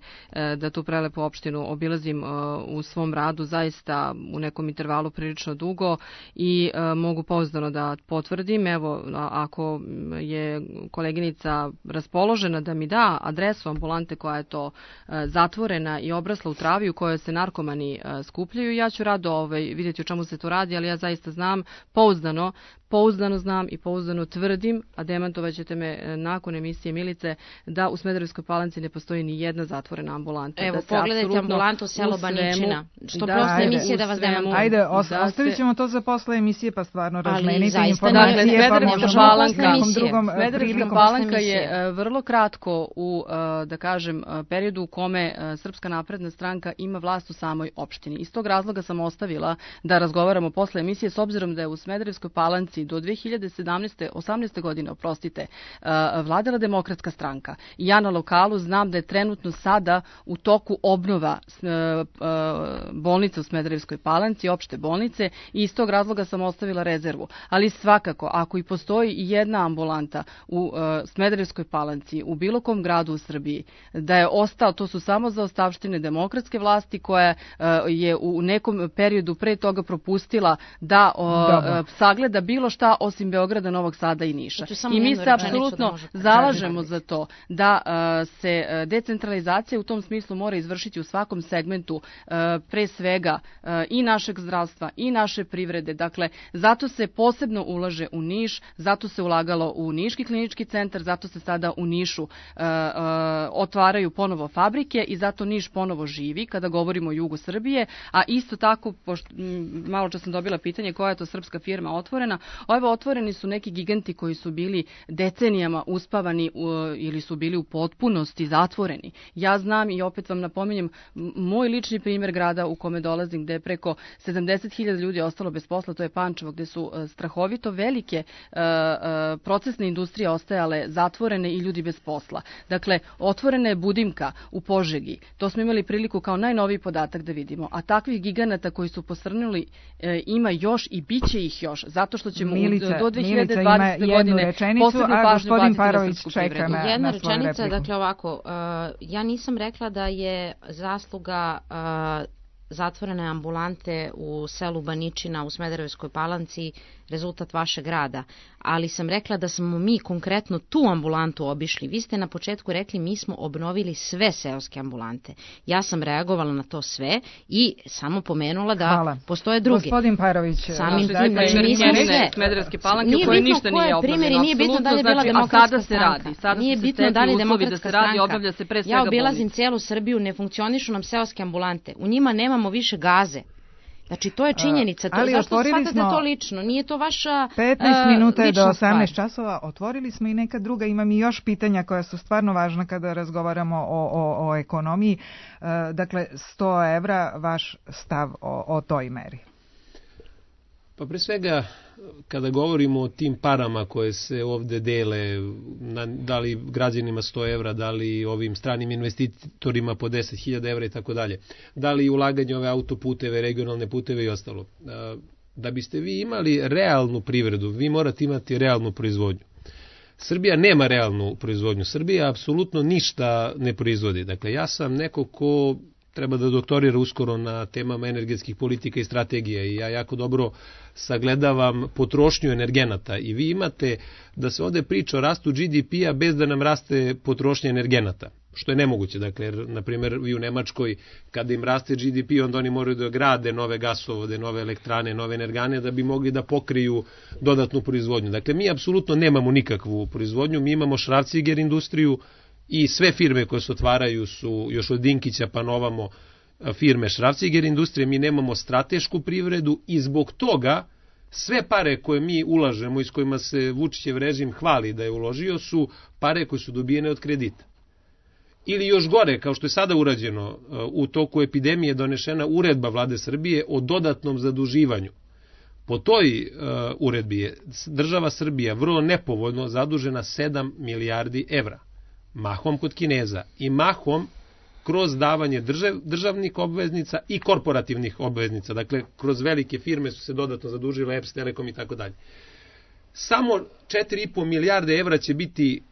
Speaker 6: da tu prelepu opštinu obilazim u svom radu zaista u nekom intervalu prilično dugo i mogu pouzdano da potvrdim. Evo, ako je koleginica raspoložena da mi da adresu ambulante koja je to zatvorena i obrasla u travi u kojoj se narkomani skupljaju, ja ću rado vidjeti o čemu se to radi, ali ja zaista znam pouzdano znam i pouzdano tvrdim, a demantovat ćete me nakon emisije Milice, da u Smederevskoj Palanci ne postoji ni jedna zatvorena ambulanta.
Speaker 5: Evo, pogledajte ambulantu selo Baničina. Što posle emisije da vas demantujem.
Speaker 2: Ajde, ostavit ćemo to za posle emisije, pa stvarno razmenite informacije.
Speaker 6: Smederevska Palanka je vrlo kratko u, da kažem, periodu u kome Srpska napredna stranka ima vlast u samoj opštini. Iz tog razloga sam ostavila da razgovaramo posle emisije, s obzirom da je u Smederevskoj Palanci do 18. godine, vladala Demokratska stranka. I ja na lokalu znam da je trenutno sada u toku obnova bolnice u Smederevskoj Palanci, opšte bolnice, i iz tog razloga sam ostavila rezervu. Ali svakako, ako i postoji jedna ambulanta u Smederevskoj Palanci, u bilo kom gradu u Srbiji, da je ostao, to su samo zaostavštine demokratske vlasti koja je u nekom periodu pre toga propustila da sagleda bilo šta osim Beograda, Novog Sada i Niša. I mi se apsolutno zalažemo za to da se decentralizacija u tom smislu mora izvršiti u svakom segmentu, pre svega i našeg zdravstva i naše privrede. Dakle, zato se posebno ulaže u Niš, zato se ulagalo u Niški klinički centar, zato se sada u Nišu otvaraju ponovo fabrike i zato Niš ponovo živi kada govorimo o jugu Srbije, a isto tako, malo čas sam dobila pitanje koja je to srpska firma otvorena, otvoreni su neki giganti koji su bili decenijama uspavani ili su bili u potpunosti zatvoreni. Ja znam i opet vam napominjem moj lični primjer grada u kome dolazim, gde je preko 70.000 ljudi ostalo bez posla, to je Pančevo, gde su strahovito velike procesne industrije ostajale zatvorene i ljudi bez posla. Dakle, otvorena je Budimka u Požegi. To smo imali priliku kao najnoviji podatak da vidimo. A takvih giganata koji su posrnuli ima još i bit će ih još. Zato što ćemo do 2020. godine posebno pažnju baciti na srpsku privredu.
Speaker 5: Jedna rečenica, dakle ovako, ja nisam rekla da je zasluga zatvorene ambulante u selu Baničina u Smederevskoj Palanci rezultat vašeg rada, ali sam rekla da smo mi konkretno tu ambulantu obišli. Vi ste na početku rekli mi smo obnovili sve seoske ambulante. Ja sam reagovala na to sve i samo pomenula da postoje drugi.
Speaker 2: Gospodin Parović,
Speaker 5: samim tim, znači nisam sve.
Speaker 6: Smederevske Palanke u kojoj ništa nije obnovljeno.
Speaker 5: Nije bitno da li je bila demokratska stranka. Nije bitno da li je demokratska stranka. Ja obilazim celu Srbiju, ne funkcionišu nam seoske ambulante. U njima nemamo više gaze. Znači, to je činjenica. Zašto shvatate to lično? Nije to vaša
Speaker 2: 15 minuta je do 18 časova. Otvorili smo i neka druga. Imam i još pitanja koja su stvarno važna kada razgovaramo o ekonomiji. Dakle, 100 evra, vaš stav o toj meri.
Speaker 4: Pa pre svega, kada govorimo o tim parama koje se ovde dele, da li građanima 100 evra, da li ovim stranim investitorima po 10.000 evra i tako dalje, da li ulaganje ove autoputeve, regionalne puteve i ostalo. Da biste vi imali realnu privredu, vi morate imati realnu proizvodnju. Srbija nema realnu proizvodnju. Srbija apsolutno ništa ne proizvodi. Dakle, ja sam neko ko treba da doktorira uskoro na temama energetskih politika i strategije i ja jako dobro sagledavam potrošnju energenata i vi imate da se ovde priča o rastu GDP-a bez da nam raste potrošnja energenata, što je nemoguće. Dakle, na primjer, vi u Nemačkoj, kada im raste GDP, onda oni moraju da grade nove gasovode, nove elektrane, nove energane, da bi mogli da pokriju dodatnu proizvodnju. Dakle, mi apsolutno nemamo nikakvu proizvodnju, mi imamo Schwarzenegger industriju, i sve firme koje se otvaraju su još od Dinkića pa novamo firme Schwarzenegger industrije, mi nemamo stratešku privredu i zbog toga sve pare koje mi ulažemo i s kojima se Vučićev režim hvali da je uložio su pare koje su dobijene od kredita. Ili još gore, kao što je sada urađeno, u toku epidemije donešena uredba Vlade Srbije o dodatnom zaduživanju. Po toj uredbi je država Srbija vrlo nepovoljno zadužena 7 milijardi evra. Mahom kod Kineza i mahom kroz davanje državnih obveznica i korporativnih obveznica. Dakle, kroz velike firme su se dodatno zadužile, EPS, Telekom i tako dalje. Samo 4,5 milijarde evra će biti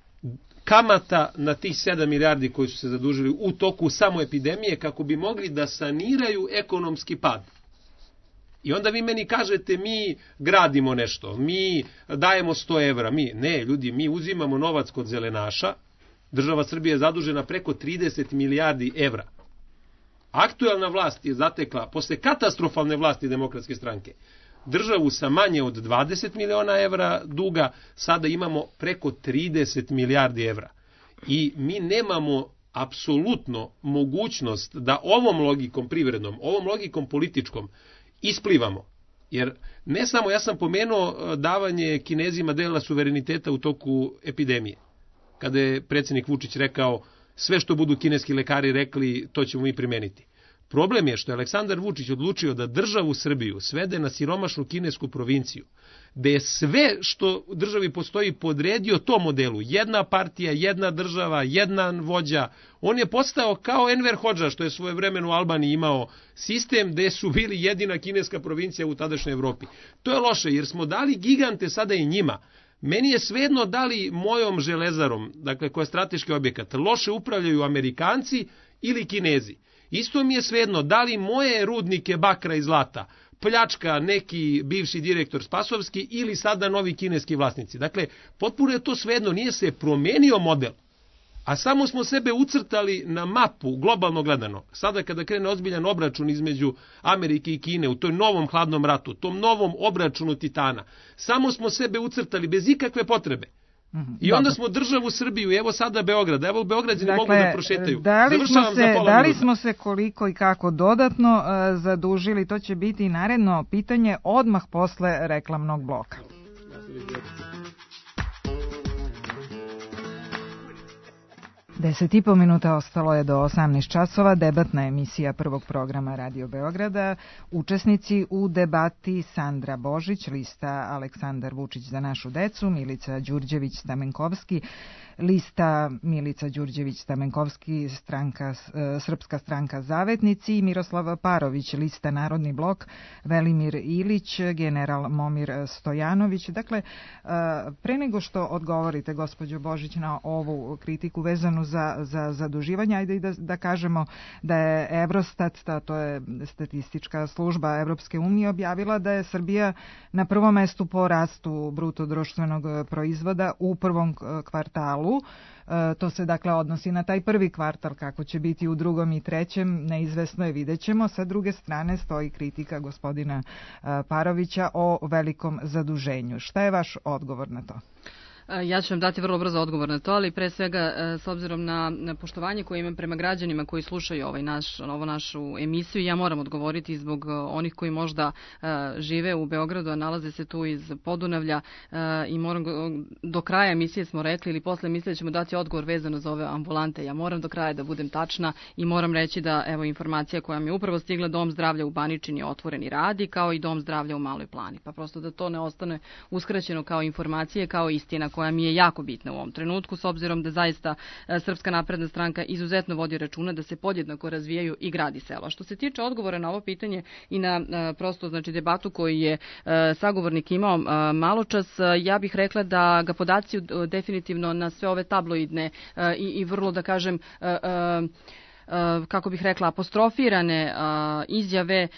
Speaker 4: kamata na tih 7 milijardi koji su se zadužili u toku samo epidemije kako bi mogli da saniraju ekonomski pad. I onda vi meni kažete mi gradimo nešto, mi dajemo 100 evra. Ne, ljudi, mi uzimamo novac kod zelenaša. Država Srbije je zadužena preko 30 milijardi evra. Aktuelna vlast je zatekla, posle katastrofalne vlasti Demokratske stranke, državu sa manje od 20 miliona evra duga, sada imamo preko 30 milijardi evra. I mi nemamo apsolutno mogućnost da ovom logikom privrednom, ovom logikom političkom isplivamo. Jer ne samo, ja sam pomenuo davanje Kinezima dela suvereniteta u toku epidemije. Kada je predsjednik Vučić rekao sve što budu kineski lekari rekli, to ćemo mi primeniti. Problem je što je Aleksandar Vučić odlučio da državu Srbiju svede na siromašnu kinesku provinciju, gde je sve što u državi postoji podredio tom modelu. Jedna partija, jedna država, jedan vođa. On je postao kao Enver Hodža, što je svojevremeno u Albaniji imao sistem gde su bili jedina kineska provincija u tadašnjoj Evropi. To je loše jer smo dali gigante sada i njima. Meni je svejedno da li mojom železarom, dakle koja je strateški objekat, loše upravljaju Amerikanci ili Kinezi. Isto mi je svejedno da li moje rudnike bakra i zlata pljačka neki bivši direktor Spasovski ili sada novi kineski vlasnici. Dakle, potpuno je to svejedno, nije se promenio model, a samo smo sebe ucrtali na mapu, globalno gledano. Sada kada krene ozbiljan obračun između Amerike i Kine u toj novom hladnom ratu, tom novom obračunu Titana, samo smo sebe ucrtali bez ikakve potrebe. I onda smo državu Srbiju, evo sada Beograd, evo Beograđani mogu da prošetaju.
Speaker 2: Da li smo se koliko i kako dodatno zadužili, to će biti naredno pitanje odmah posle reklamnog bloka. 10,5 minuta ostalo je do 18 časova, debatna emisija prvog programa Radio Beograda. Učesnici u debati Sandra Božić, lista Aleksandar Vučić za našu decu, Milica Đurđević-Stamenkovski, lista Milica Đurđević-Stamenkovski, Srpska stranka Zavetnici, i Miroslav Parović, lista Narodni blok, Velimir Ilić, general Momir Stojanović. Dakle, pre nego što odgovorite, gospođo Božić, na ovu kritiku vezanu za zaduživanje, ajde i da kažemo da je Eurostat, to je statistička služba Evropske unije, objavila da je Srbija na prvom mestu po rastu bruto društvenog proizvoda u prvom kvartalu. To se dakle odnosi na taj prvi kvartal, kako će biti u drugom i trećem, neizvesno je, vidjet ćemo. Sa druge strane stoji kritika gospodina Parovića o velikom zaduženju. Šta je vaš odgovor na to?
Speaker 6: Ja ću vam dati vrlo brzo odgovor na to, ali pre svega s obzirom na poštovanje koje imam prema građanima koji slušaju ovu našu emisiju, ja moram odgovoriti zbog onih koji možda žive u Beogradu, a nalaze se tu iz Podunavlja, i moram, do kraja emisije smo rekli, ili posle emisije ćemo dati odgovor vezano za ove ambulante. Ja moram do kraja da budem tačna i moram reći da, evo, informacija koja mi je upravo stigla, Dom zdravlja u Baničini je otvoren i radi, kao i Dom zdravlja u Maloj Plani. Pa prosto da to ne ostane uskraćeno kao informacije, kao istina koja mi je jako bitna u ovom trenutku, s obzirom da zaista Srpska napredna stranka izuzetno vodi računa da se podjednako razvijaju i grad i selo. Što se tiče odgovora na ovo pitanje i na prosto, znači, debatu koju je sagovornik imao maločas, ja bih rekla da ga podaci definitivno na sve ove tabloidne i vrlo, da kažem, kako bih rekla, apostrofirane izjave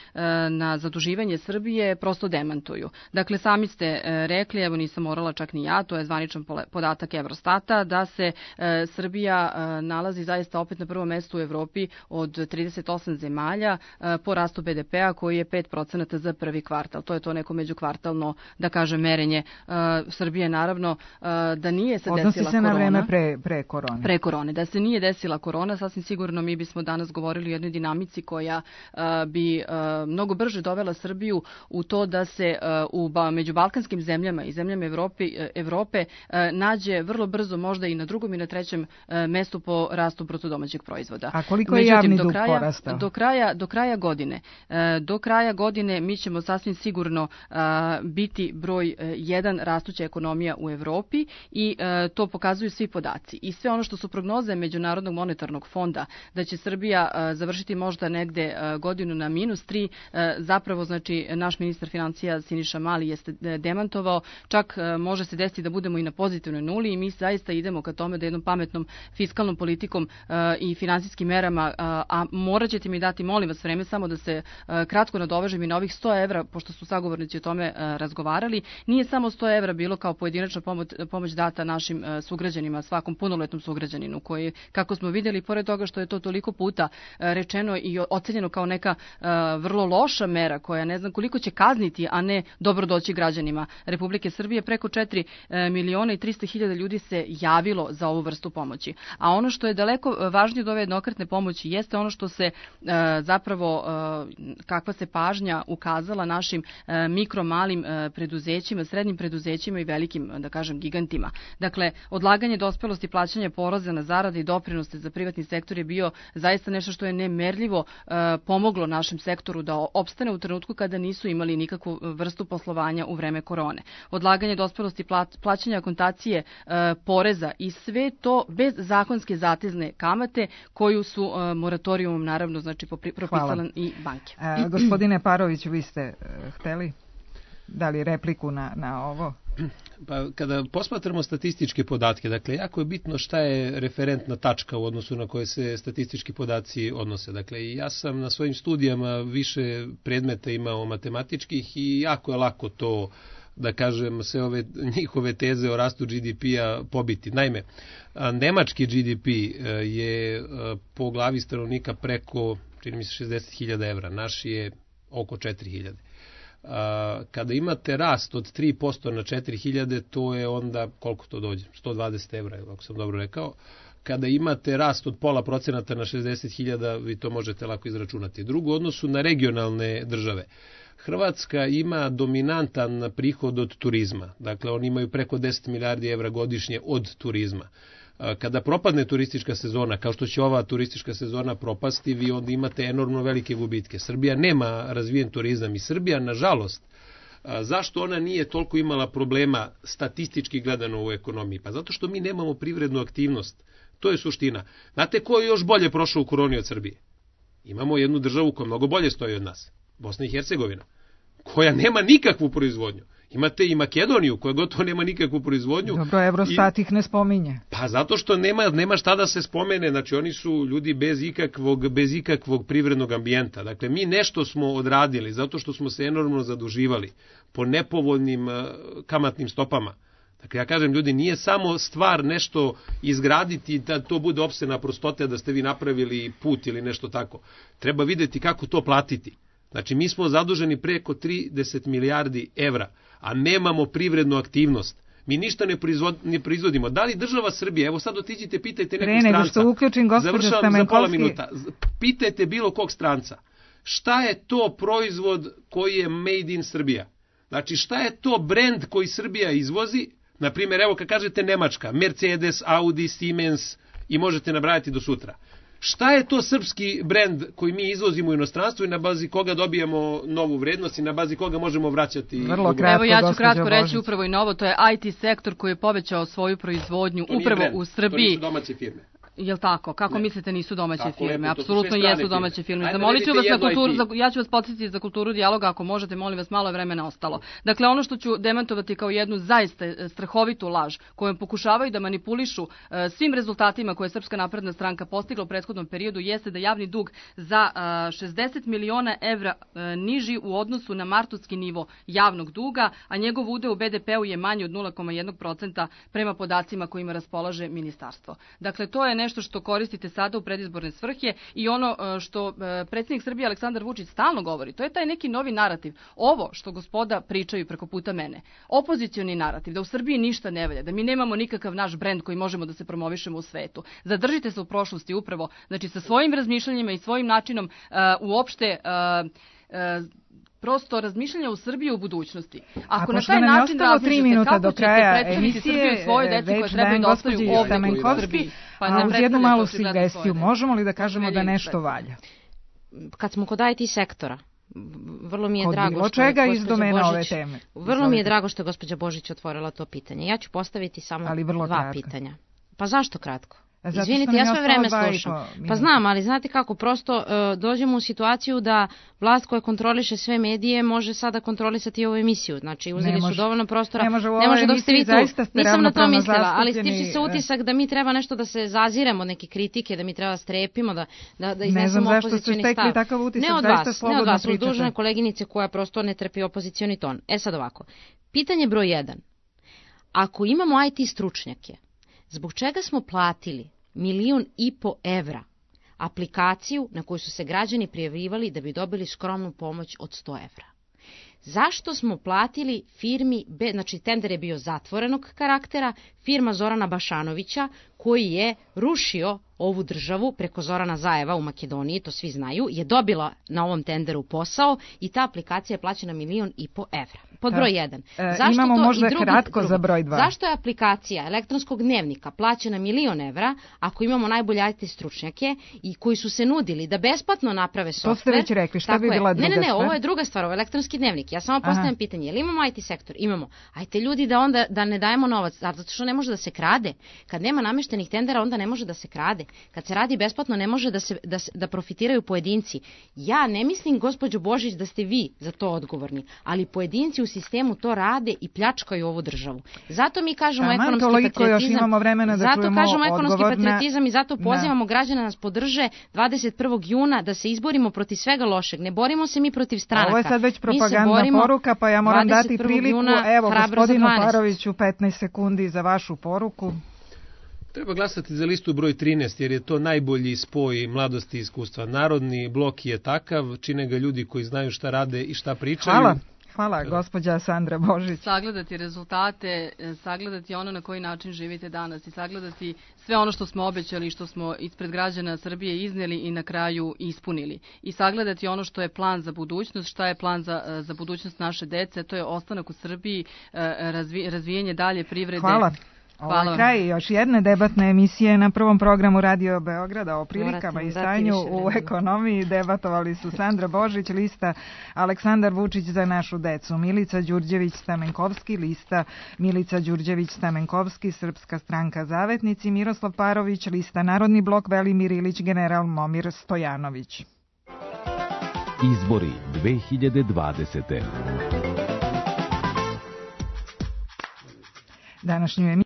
Speaker 6: na zaduživanje Srbije prosto demantuju. Dakle, sami ste rekli, evo nisam morala čak ni ja, to je zvaničan podatak Eurostata, da se Srbija nalazi zaista opet na prvom mestu u Evropi od 38 zemalja po rastu BDP-a, koji je 5% za prvi kvartal. To je to neko međukvartalno, da kažem, merenje. Srbije, naravno, da nije se desila korona.
Speaker 2: Odnosi se na vreme pre korone.
Speaker 6: Pre korone. Da se nije desila korona, sasvim sigurno mi bismo danas govorili o jednoj dinamici koja bi mnogo brže dovela Srbiju u to da se među balkanskim zemljama i zemljama Evrope nađe vrlo brzo, možda i na drugom i na trećem mestu po rastu bruto domaćeg proizvoda.
Speaker 2: A koliko je javni dug porastao?
Speaker 6: Do kraja godine mi ćemo sasvim sigurno biti broj 1 rastuća ekonomija u Evropi, i to pokazuju svi podaci. I sve ono što su prognoze Međunarodnog monetarnog fonda, da će Srbija završiti možda negde godinu na -3, zapravo, znači, naš ministar financija Siniša Mali jeste demantovao, čak može se desiti da budemo i na pozitivnoj nuli, i mi zaista idemo ka tome da jednom pametnom fiskalnom politikom i finansijskim merama, a morat ćete mi dati, molim vas, vreme samo da se kratko nadovežem i na ovih 100 evra, pošto su sagovornici o tome razgovarali. Nije samo 100 evra bilo kao pojedinačna pomoć data našim sugrađanima, svakom punoletnom sugrađaninu, koji, kako smo vidjeli, pored toga što je to toliko puta rečeno i ocenjeno kao neka vrlo loša mera koja ne znam koliko će kazniti, a ne dobro doći građanima Republike Srbije, preko 4.300.000 ljudi se javilo za ovu vrstu pomoći. A ono što je daleko važnije od ove jednokratne pomoći jeste ono što se zapravo, kakva se pažnja ukazala našim mikro, malim preduzećima, srednjim preduzećima i velikim, da kažem, gigantima. Dakle, odlaganje dospelosti plaćanja poreza na zarade i doprinose za privatni sektor je bio zaista nešto što je nemerljivo pomoglo našem sektoru da opstane u trenutku kada nisu imali nikakvu vrstu poslovanja u vreme korone. Odlaganje dospelosti plaćanja akontacije poreza i sve to bez zakonske zatezne kamate koju su moratorijumom, naravno, znači propisale i banke.
Speaker 2: Gospodine Paroviću, vi ste hteli? dali repliku na ovo?
Speaker 4: Pa kada posmatramo statističke podatke, dakle, jako je bitno šta je referentna tačka u odnosu na koje se statistički podaci odnose. Dakle, ja sam na svojim studijama više predmeta imao matematičkih i jako je lako to, da kažem, sve ove njihove teze o rastu GDP-a pobiti. Naime, nemački GDP je po glavi stanovnika preko, čini mi se, 60.000 evra, naš je oko 4.000. Kada imate rast od 3% na 4.000, to je onda, koliko to dođe? 120 evra, ako sam dobro rekao. Kada imate rast od 0,5% na 60.000, vi to možete lako izračunati. Drugo, u odnosu na regionalne države. Hrvatska ima dominantan prihod od turizma. Dakle, oni imaju preko 10 milijardi evra godišnje od turizma. Kada propadne turistička sezona, kao što će ova turistička sezona propasti, vi onda imate enormno velike gubitke. Srbija nema razvijen turizam i Srbija, nažalost, zašto ona nije toliko imala problema statistički gledano u ekonomiji? Pa zato što mi nemamo privrednu aktivnost. To je suština. Znate ko je još bolje prošao u koroni od Srbije? Imamo jednu državu koja mnogo bolje stoji od nas. Bosna i Hercegovina, koja nema nikakvu proizvodnju. Imate i Makedoniju, koja gotovo nema nikakvu proizvodnju.
Speaker 2: Dobro, Eurostat ih ne spominje.
Speaker 4: Pa zato što nema šta da se spomene, znači oni su ljudi bez ikakvog privrednog ambijenta. Dakle, mi nešto smo odradili zato što smo se enormno zaduživali po nepovoljnim kamatnim stopama. Dakle, ja kažem, ljudi, nije samo stvar nešto izgraditi da to bude opsena prostote, da ste vi napravili put ili nešto tako. Treba videti kako to platiti. Znači, mi smo zaduženi preko 30 milijardi evra, a nemamo privrednu aktivnost. Mi ništa ne proizvodimo. Da li država Srbije, evo sad otiđite, pitajte nekog stranca.
Speaker 2: Nego što uključim gospođa Stamenkovski.
Speaker 4: Pitajte bilo kog stranca. Šta je to proizvod koji je made in Srbija? Znači, šta je to brend koji Srbija izvozi? Naprimjer, evo kad kažete Nemačka, Mercedes, Audi, Siemens i možete nabrajati do sutra. Šta je to srpski brend koji mi izvozimo u inostranstvo i na bazi koga dobijamo novu vrednost i na bazi koga možemo vraćati?
Speaker 2: Vrlo kratko,
Speaker 6: evo ja ću kratko reći upravo i novo, to je IT sektor koji je povećao svoju proizvodnju upravo u Srbiji.
Speaker 4: To nisu domaće firme.
Speaker 6: Jel tako? Kako mislite nisu domaće firme? Apsolutno jesu domaće firme. Zamolit ću vas na kulturu, ja ću vas podsjetiti za kulturu dijaloga, ako možete, molim vas, malo je vremena ostalo. Dakle, ono što ću demantovati kao jednu zaista strahovitu laž, kojom pokušavaju da manipulišu svim rezultatima koje je Srpska napredna stranka postigla u prethodnom periodu, jeste da javni dug za 60 miliona evra niži u odnosu na martovski nivo javnog duga, a njegov udeo u BDP-u je manji od 0,1% prema podacima kojima raspolaže ministarstvo. Dakle, to je nešto što koristite sada u predizborne svrhe i ono što predsjednik Srbije Aleksandar Vučić stalno govori, to je taj neki novi narativ. Ovo što gospoda pričaju preko puta mene, opozicioni narativ, da u Srbiji ništa ne valja, da mi nemamo nikakav naš brend koji možemo da se promovišemo u svetu. Zadržite se u prošlosti upravo, znači sa svojim razmišljanjima i svojim načinom uopšte prosto razmišljanja u Srbiji u budućnosti. Ako na taj način razmišljate kako ćete predstaviti Srbiju svojoj deci koje trebaju da ostaju ovdje u Srbiji,
Speaker 2: a uz jednu malu sugestiju, možemo li da kažemo da nešto valja?
Speaker 5: Kad smo kod IT sektora, vrlo mi je drago
Speaker 2: bilo čega iz domena ove teme.
Speaker 5: Vrlo mi je drago što je gospođa Božić otvorila to pitanje. Ja ću postaviti samo dva pitanja. Pa zašto kratko? Izvinite, ja sve vreme slušam. Pa znam, ali znate kako, prosto dođemo u situaciju da vlast koja kontroliše sve medije može sada kontrolisati i ovu emisiju. Znači, uzeli su dovoljno prostora.
Speaker 2: Ne može dok ste vi tu.
Speaker 5: Nisam na to mislila, ali stiče se utisak da mi treba nešto da se zaziremo, neke kritike, da mi treba strepimo, da iznesemo opozicioni stav. Ne od vas, od dužne koleginice koja prosto ne trpi opozicioni ton. Sad ovako, pitanje broj 1. Ako imamo IT stručnjake, zbog čega smo platili 1,5 miliona evra aplikaciju na koju su se građani prijavljivali da bi dobili skromnu pomoć od 100 evra? Zašto smo platili firmi, znači tender je bio zatvorenog karaktera, firma Zorana Bašanovića koji je rušio ovu državu preko Zorana Zajeva u Makedoniji, to svi znaju, je dobila na ovom tenderu posao i ta aplikacija je plaćena 1,5 miliona evra. Pod broj 1.
Speaker 2: Imamo možda kratko za broj 2.
Speaker 5: Zašto je aplikacija elektronskog dnevnika plaćena 1 milion evra ako imamo najbolje IT stručnjake i koji su se nudili da besplatno naprave softver?
Speaker 2: To ste već rekli, šta bi bila druga stvar?
Speaker 5: Ne, ovo je druga stvar, ovo je elektronski dnevnik. Ja samo postavljam pitanje, je li imamo IT sektor? Imamo. Ajte ljudi da ne dajemo novac, zato što ne može da se krade. Kad nema nameštenih tendera, onda ne može da se krade. Kad se radi besplatno, ne može da profitiraju pojedinci. Ja ne mislim, gospođo Božić, da ste vi za to odgovorni, ali pojedinci u sistemu to rade i pljačkaju ovu državu. Zato mi kažemo ekonomski patriotizam i zato pozivamo građane da nas podrže 21. juna da se izborimo protiv svega lošeg. Ne borimo se mi protiv stranaka.
Speaker 2: Ovo je sad već propagandna poruka, pa ja moram dati priliku. Evo, gospodinu Paroviću, 15 sekundi za vašu poruku.
Speaker 4: Treba glasati za listu broj 13, jer je to najbolji spoj mladosti i iskustva. Narodni blok je takav, čine ga ljudi koji znaju šta rade i šta pričaju.
Speaker 2: Hvala, gospođa Sandra Božić.
Speaker 6: Sagledati rezultate, sagledati ono na koji način živite danas i sagledati sve ono što smo obećali i što smo ispred građana Srbije izneli i na kraju ispunili. I sagledati ono što je plan za budućnost, šta je plan za budućnost naše dece, to je ostanak u Srbiji, razvijanje dalje privrede.
Speaker 2: Hvala. Ovo je kraj još jedne debatne emisije na prvom programu Radio Beograda o prilikama i stanju u ekonomiji. Debatovali su Sandra Božić, lista Aleksandar Vučić za našu decu, Milica Đurđević-Stamenkovski, lista Milica Đurđević-Stamenkovski, Srpska stranka Zavetnici, Miroslav Parović, lista Narodni blok, Velimir Ilić, general Momir Stojanović.
Speaker 3: Izbori 2020.
Speaker 2: Današnju emisiju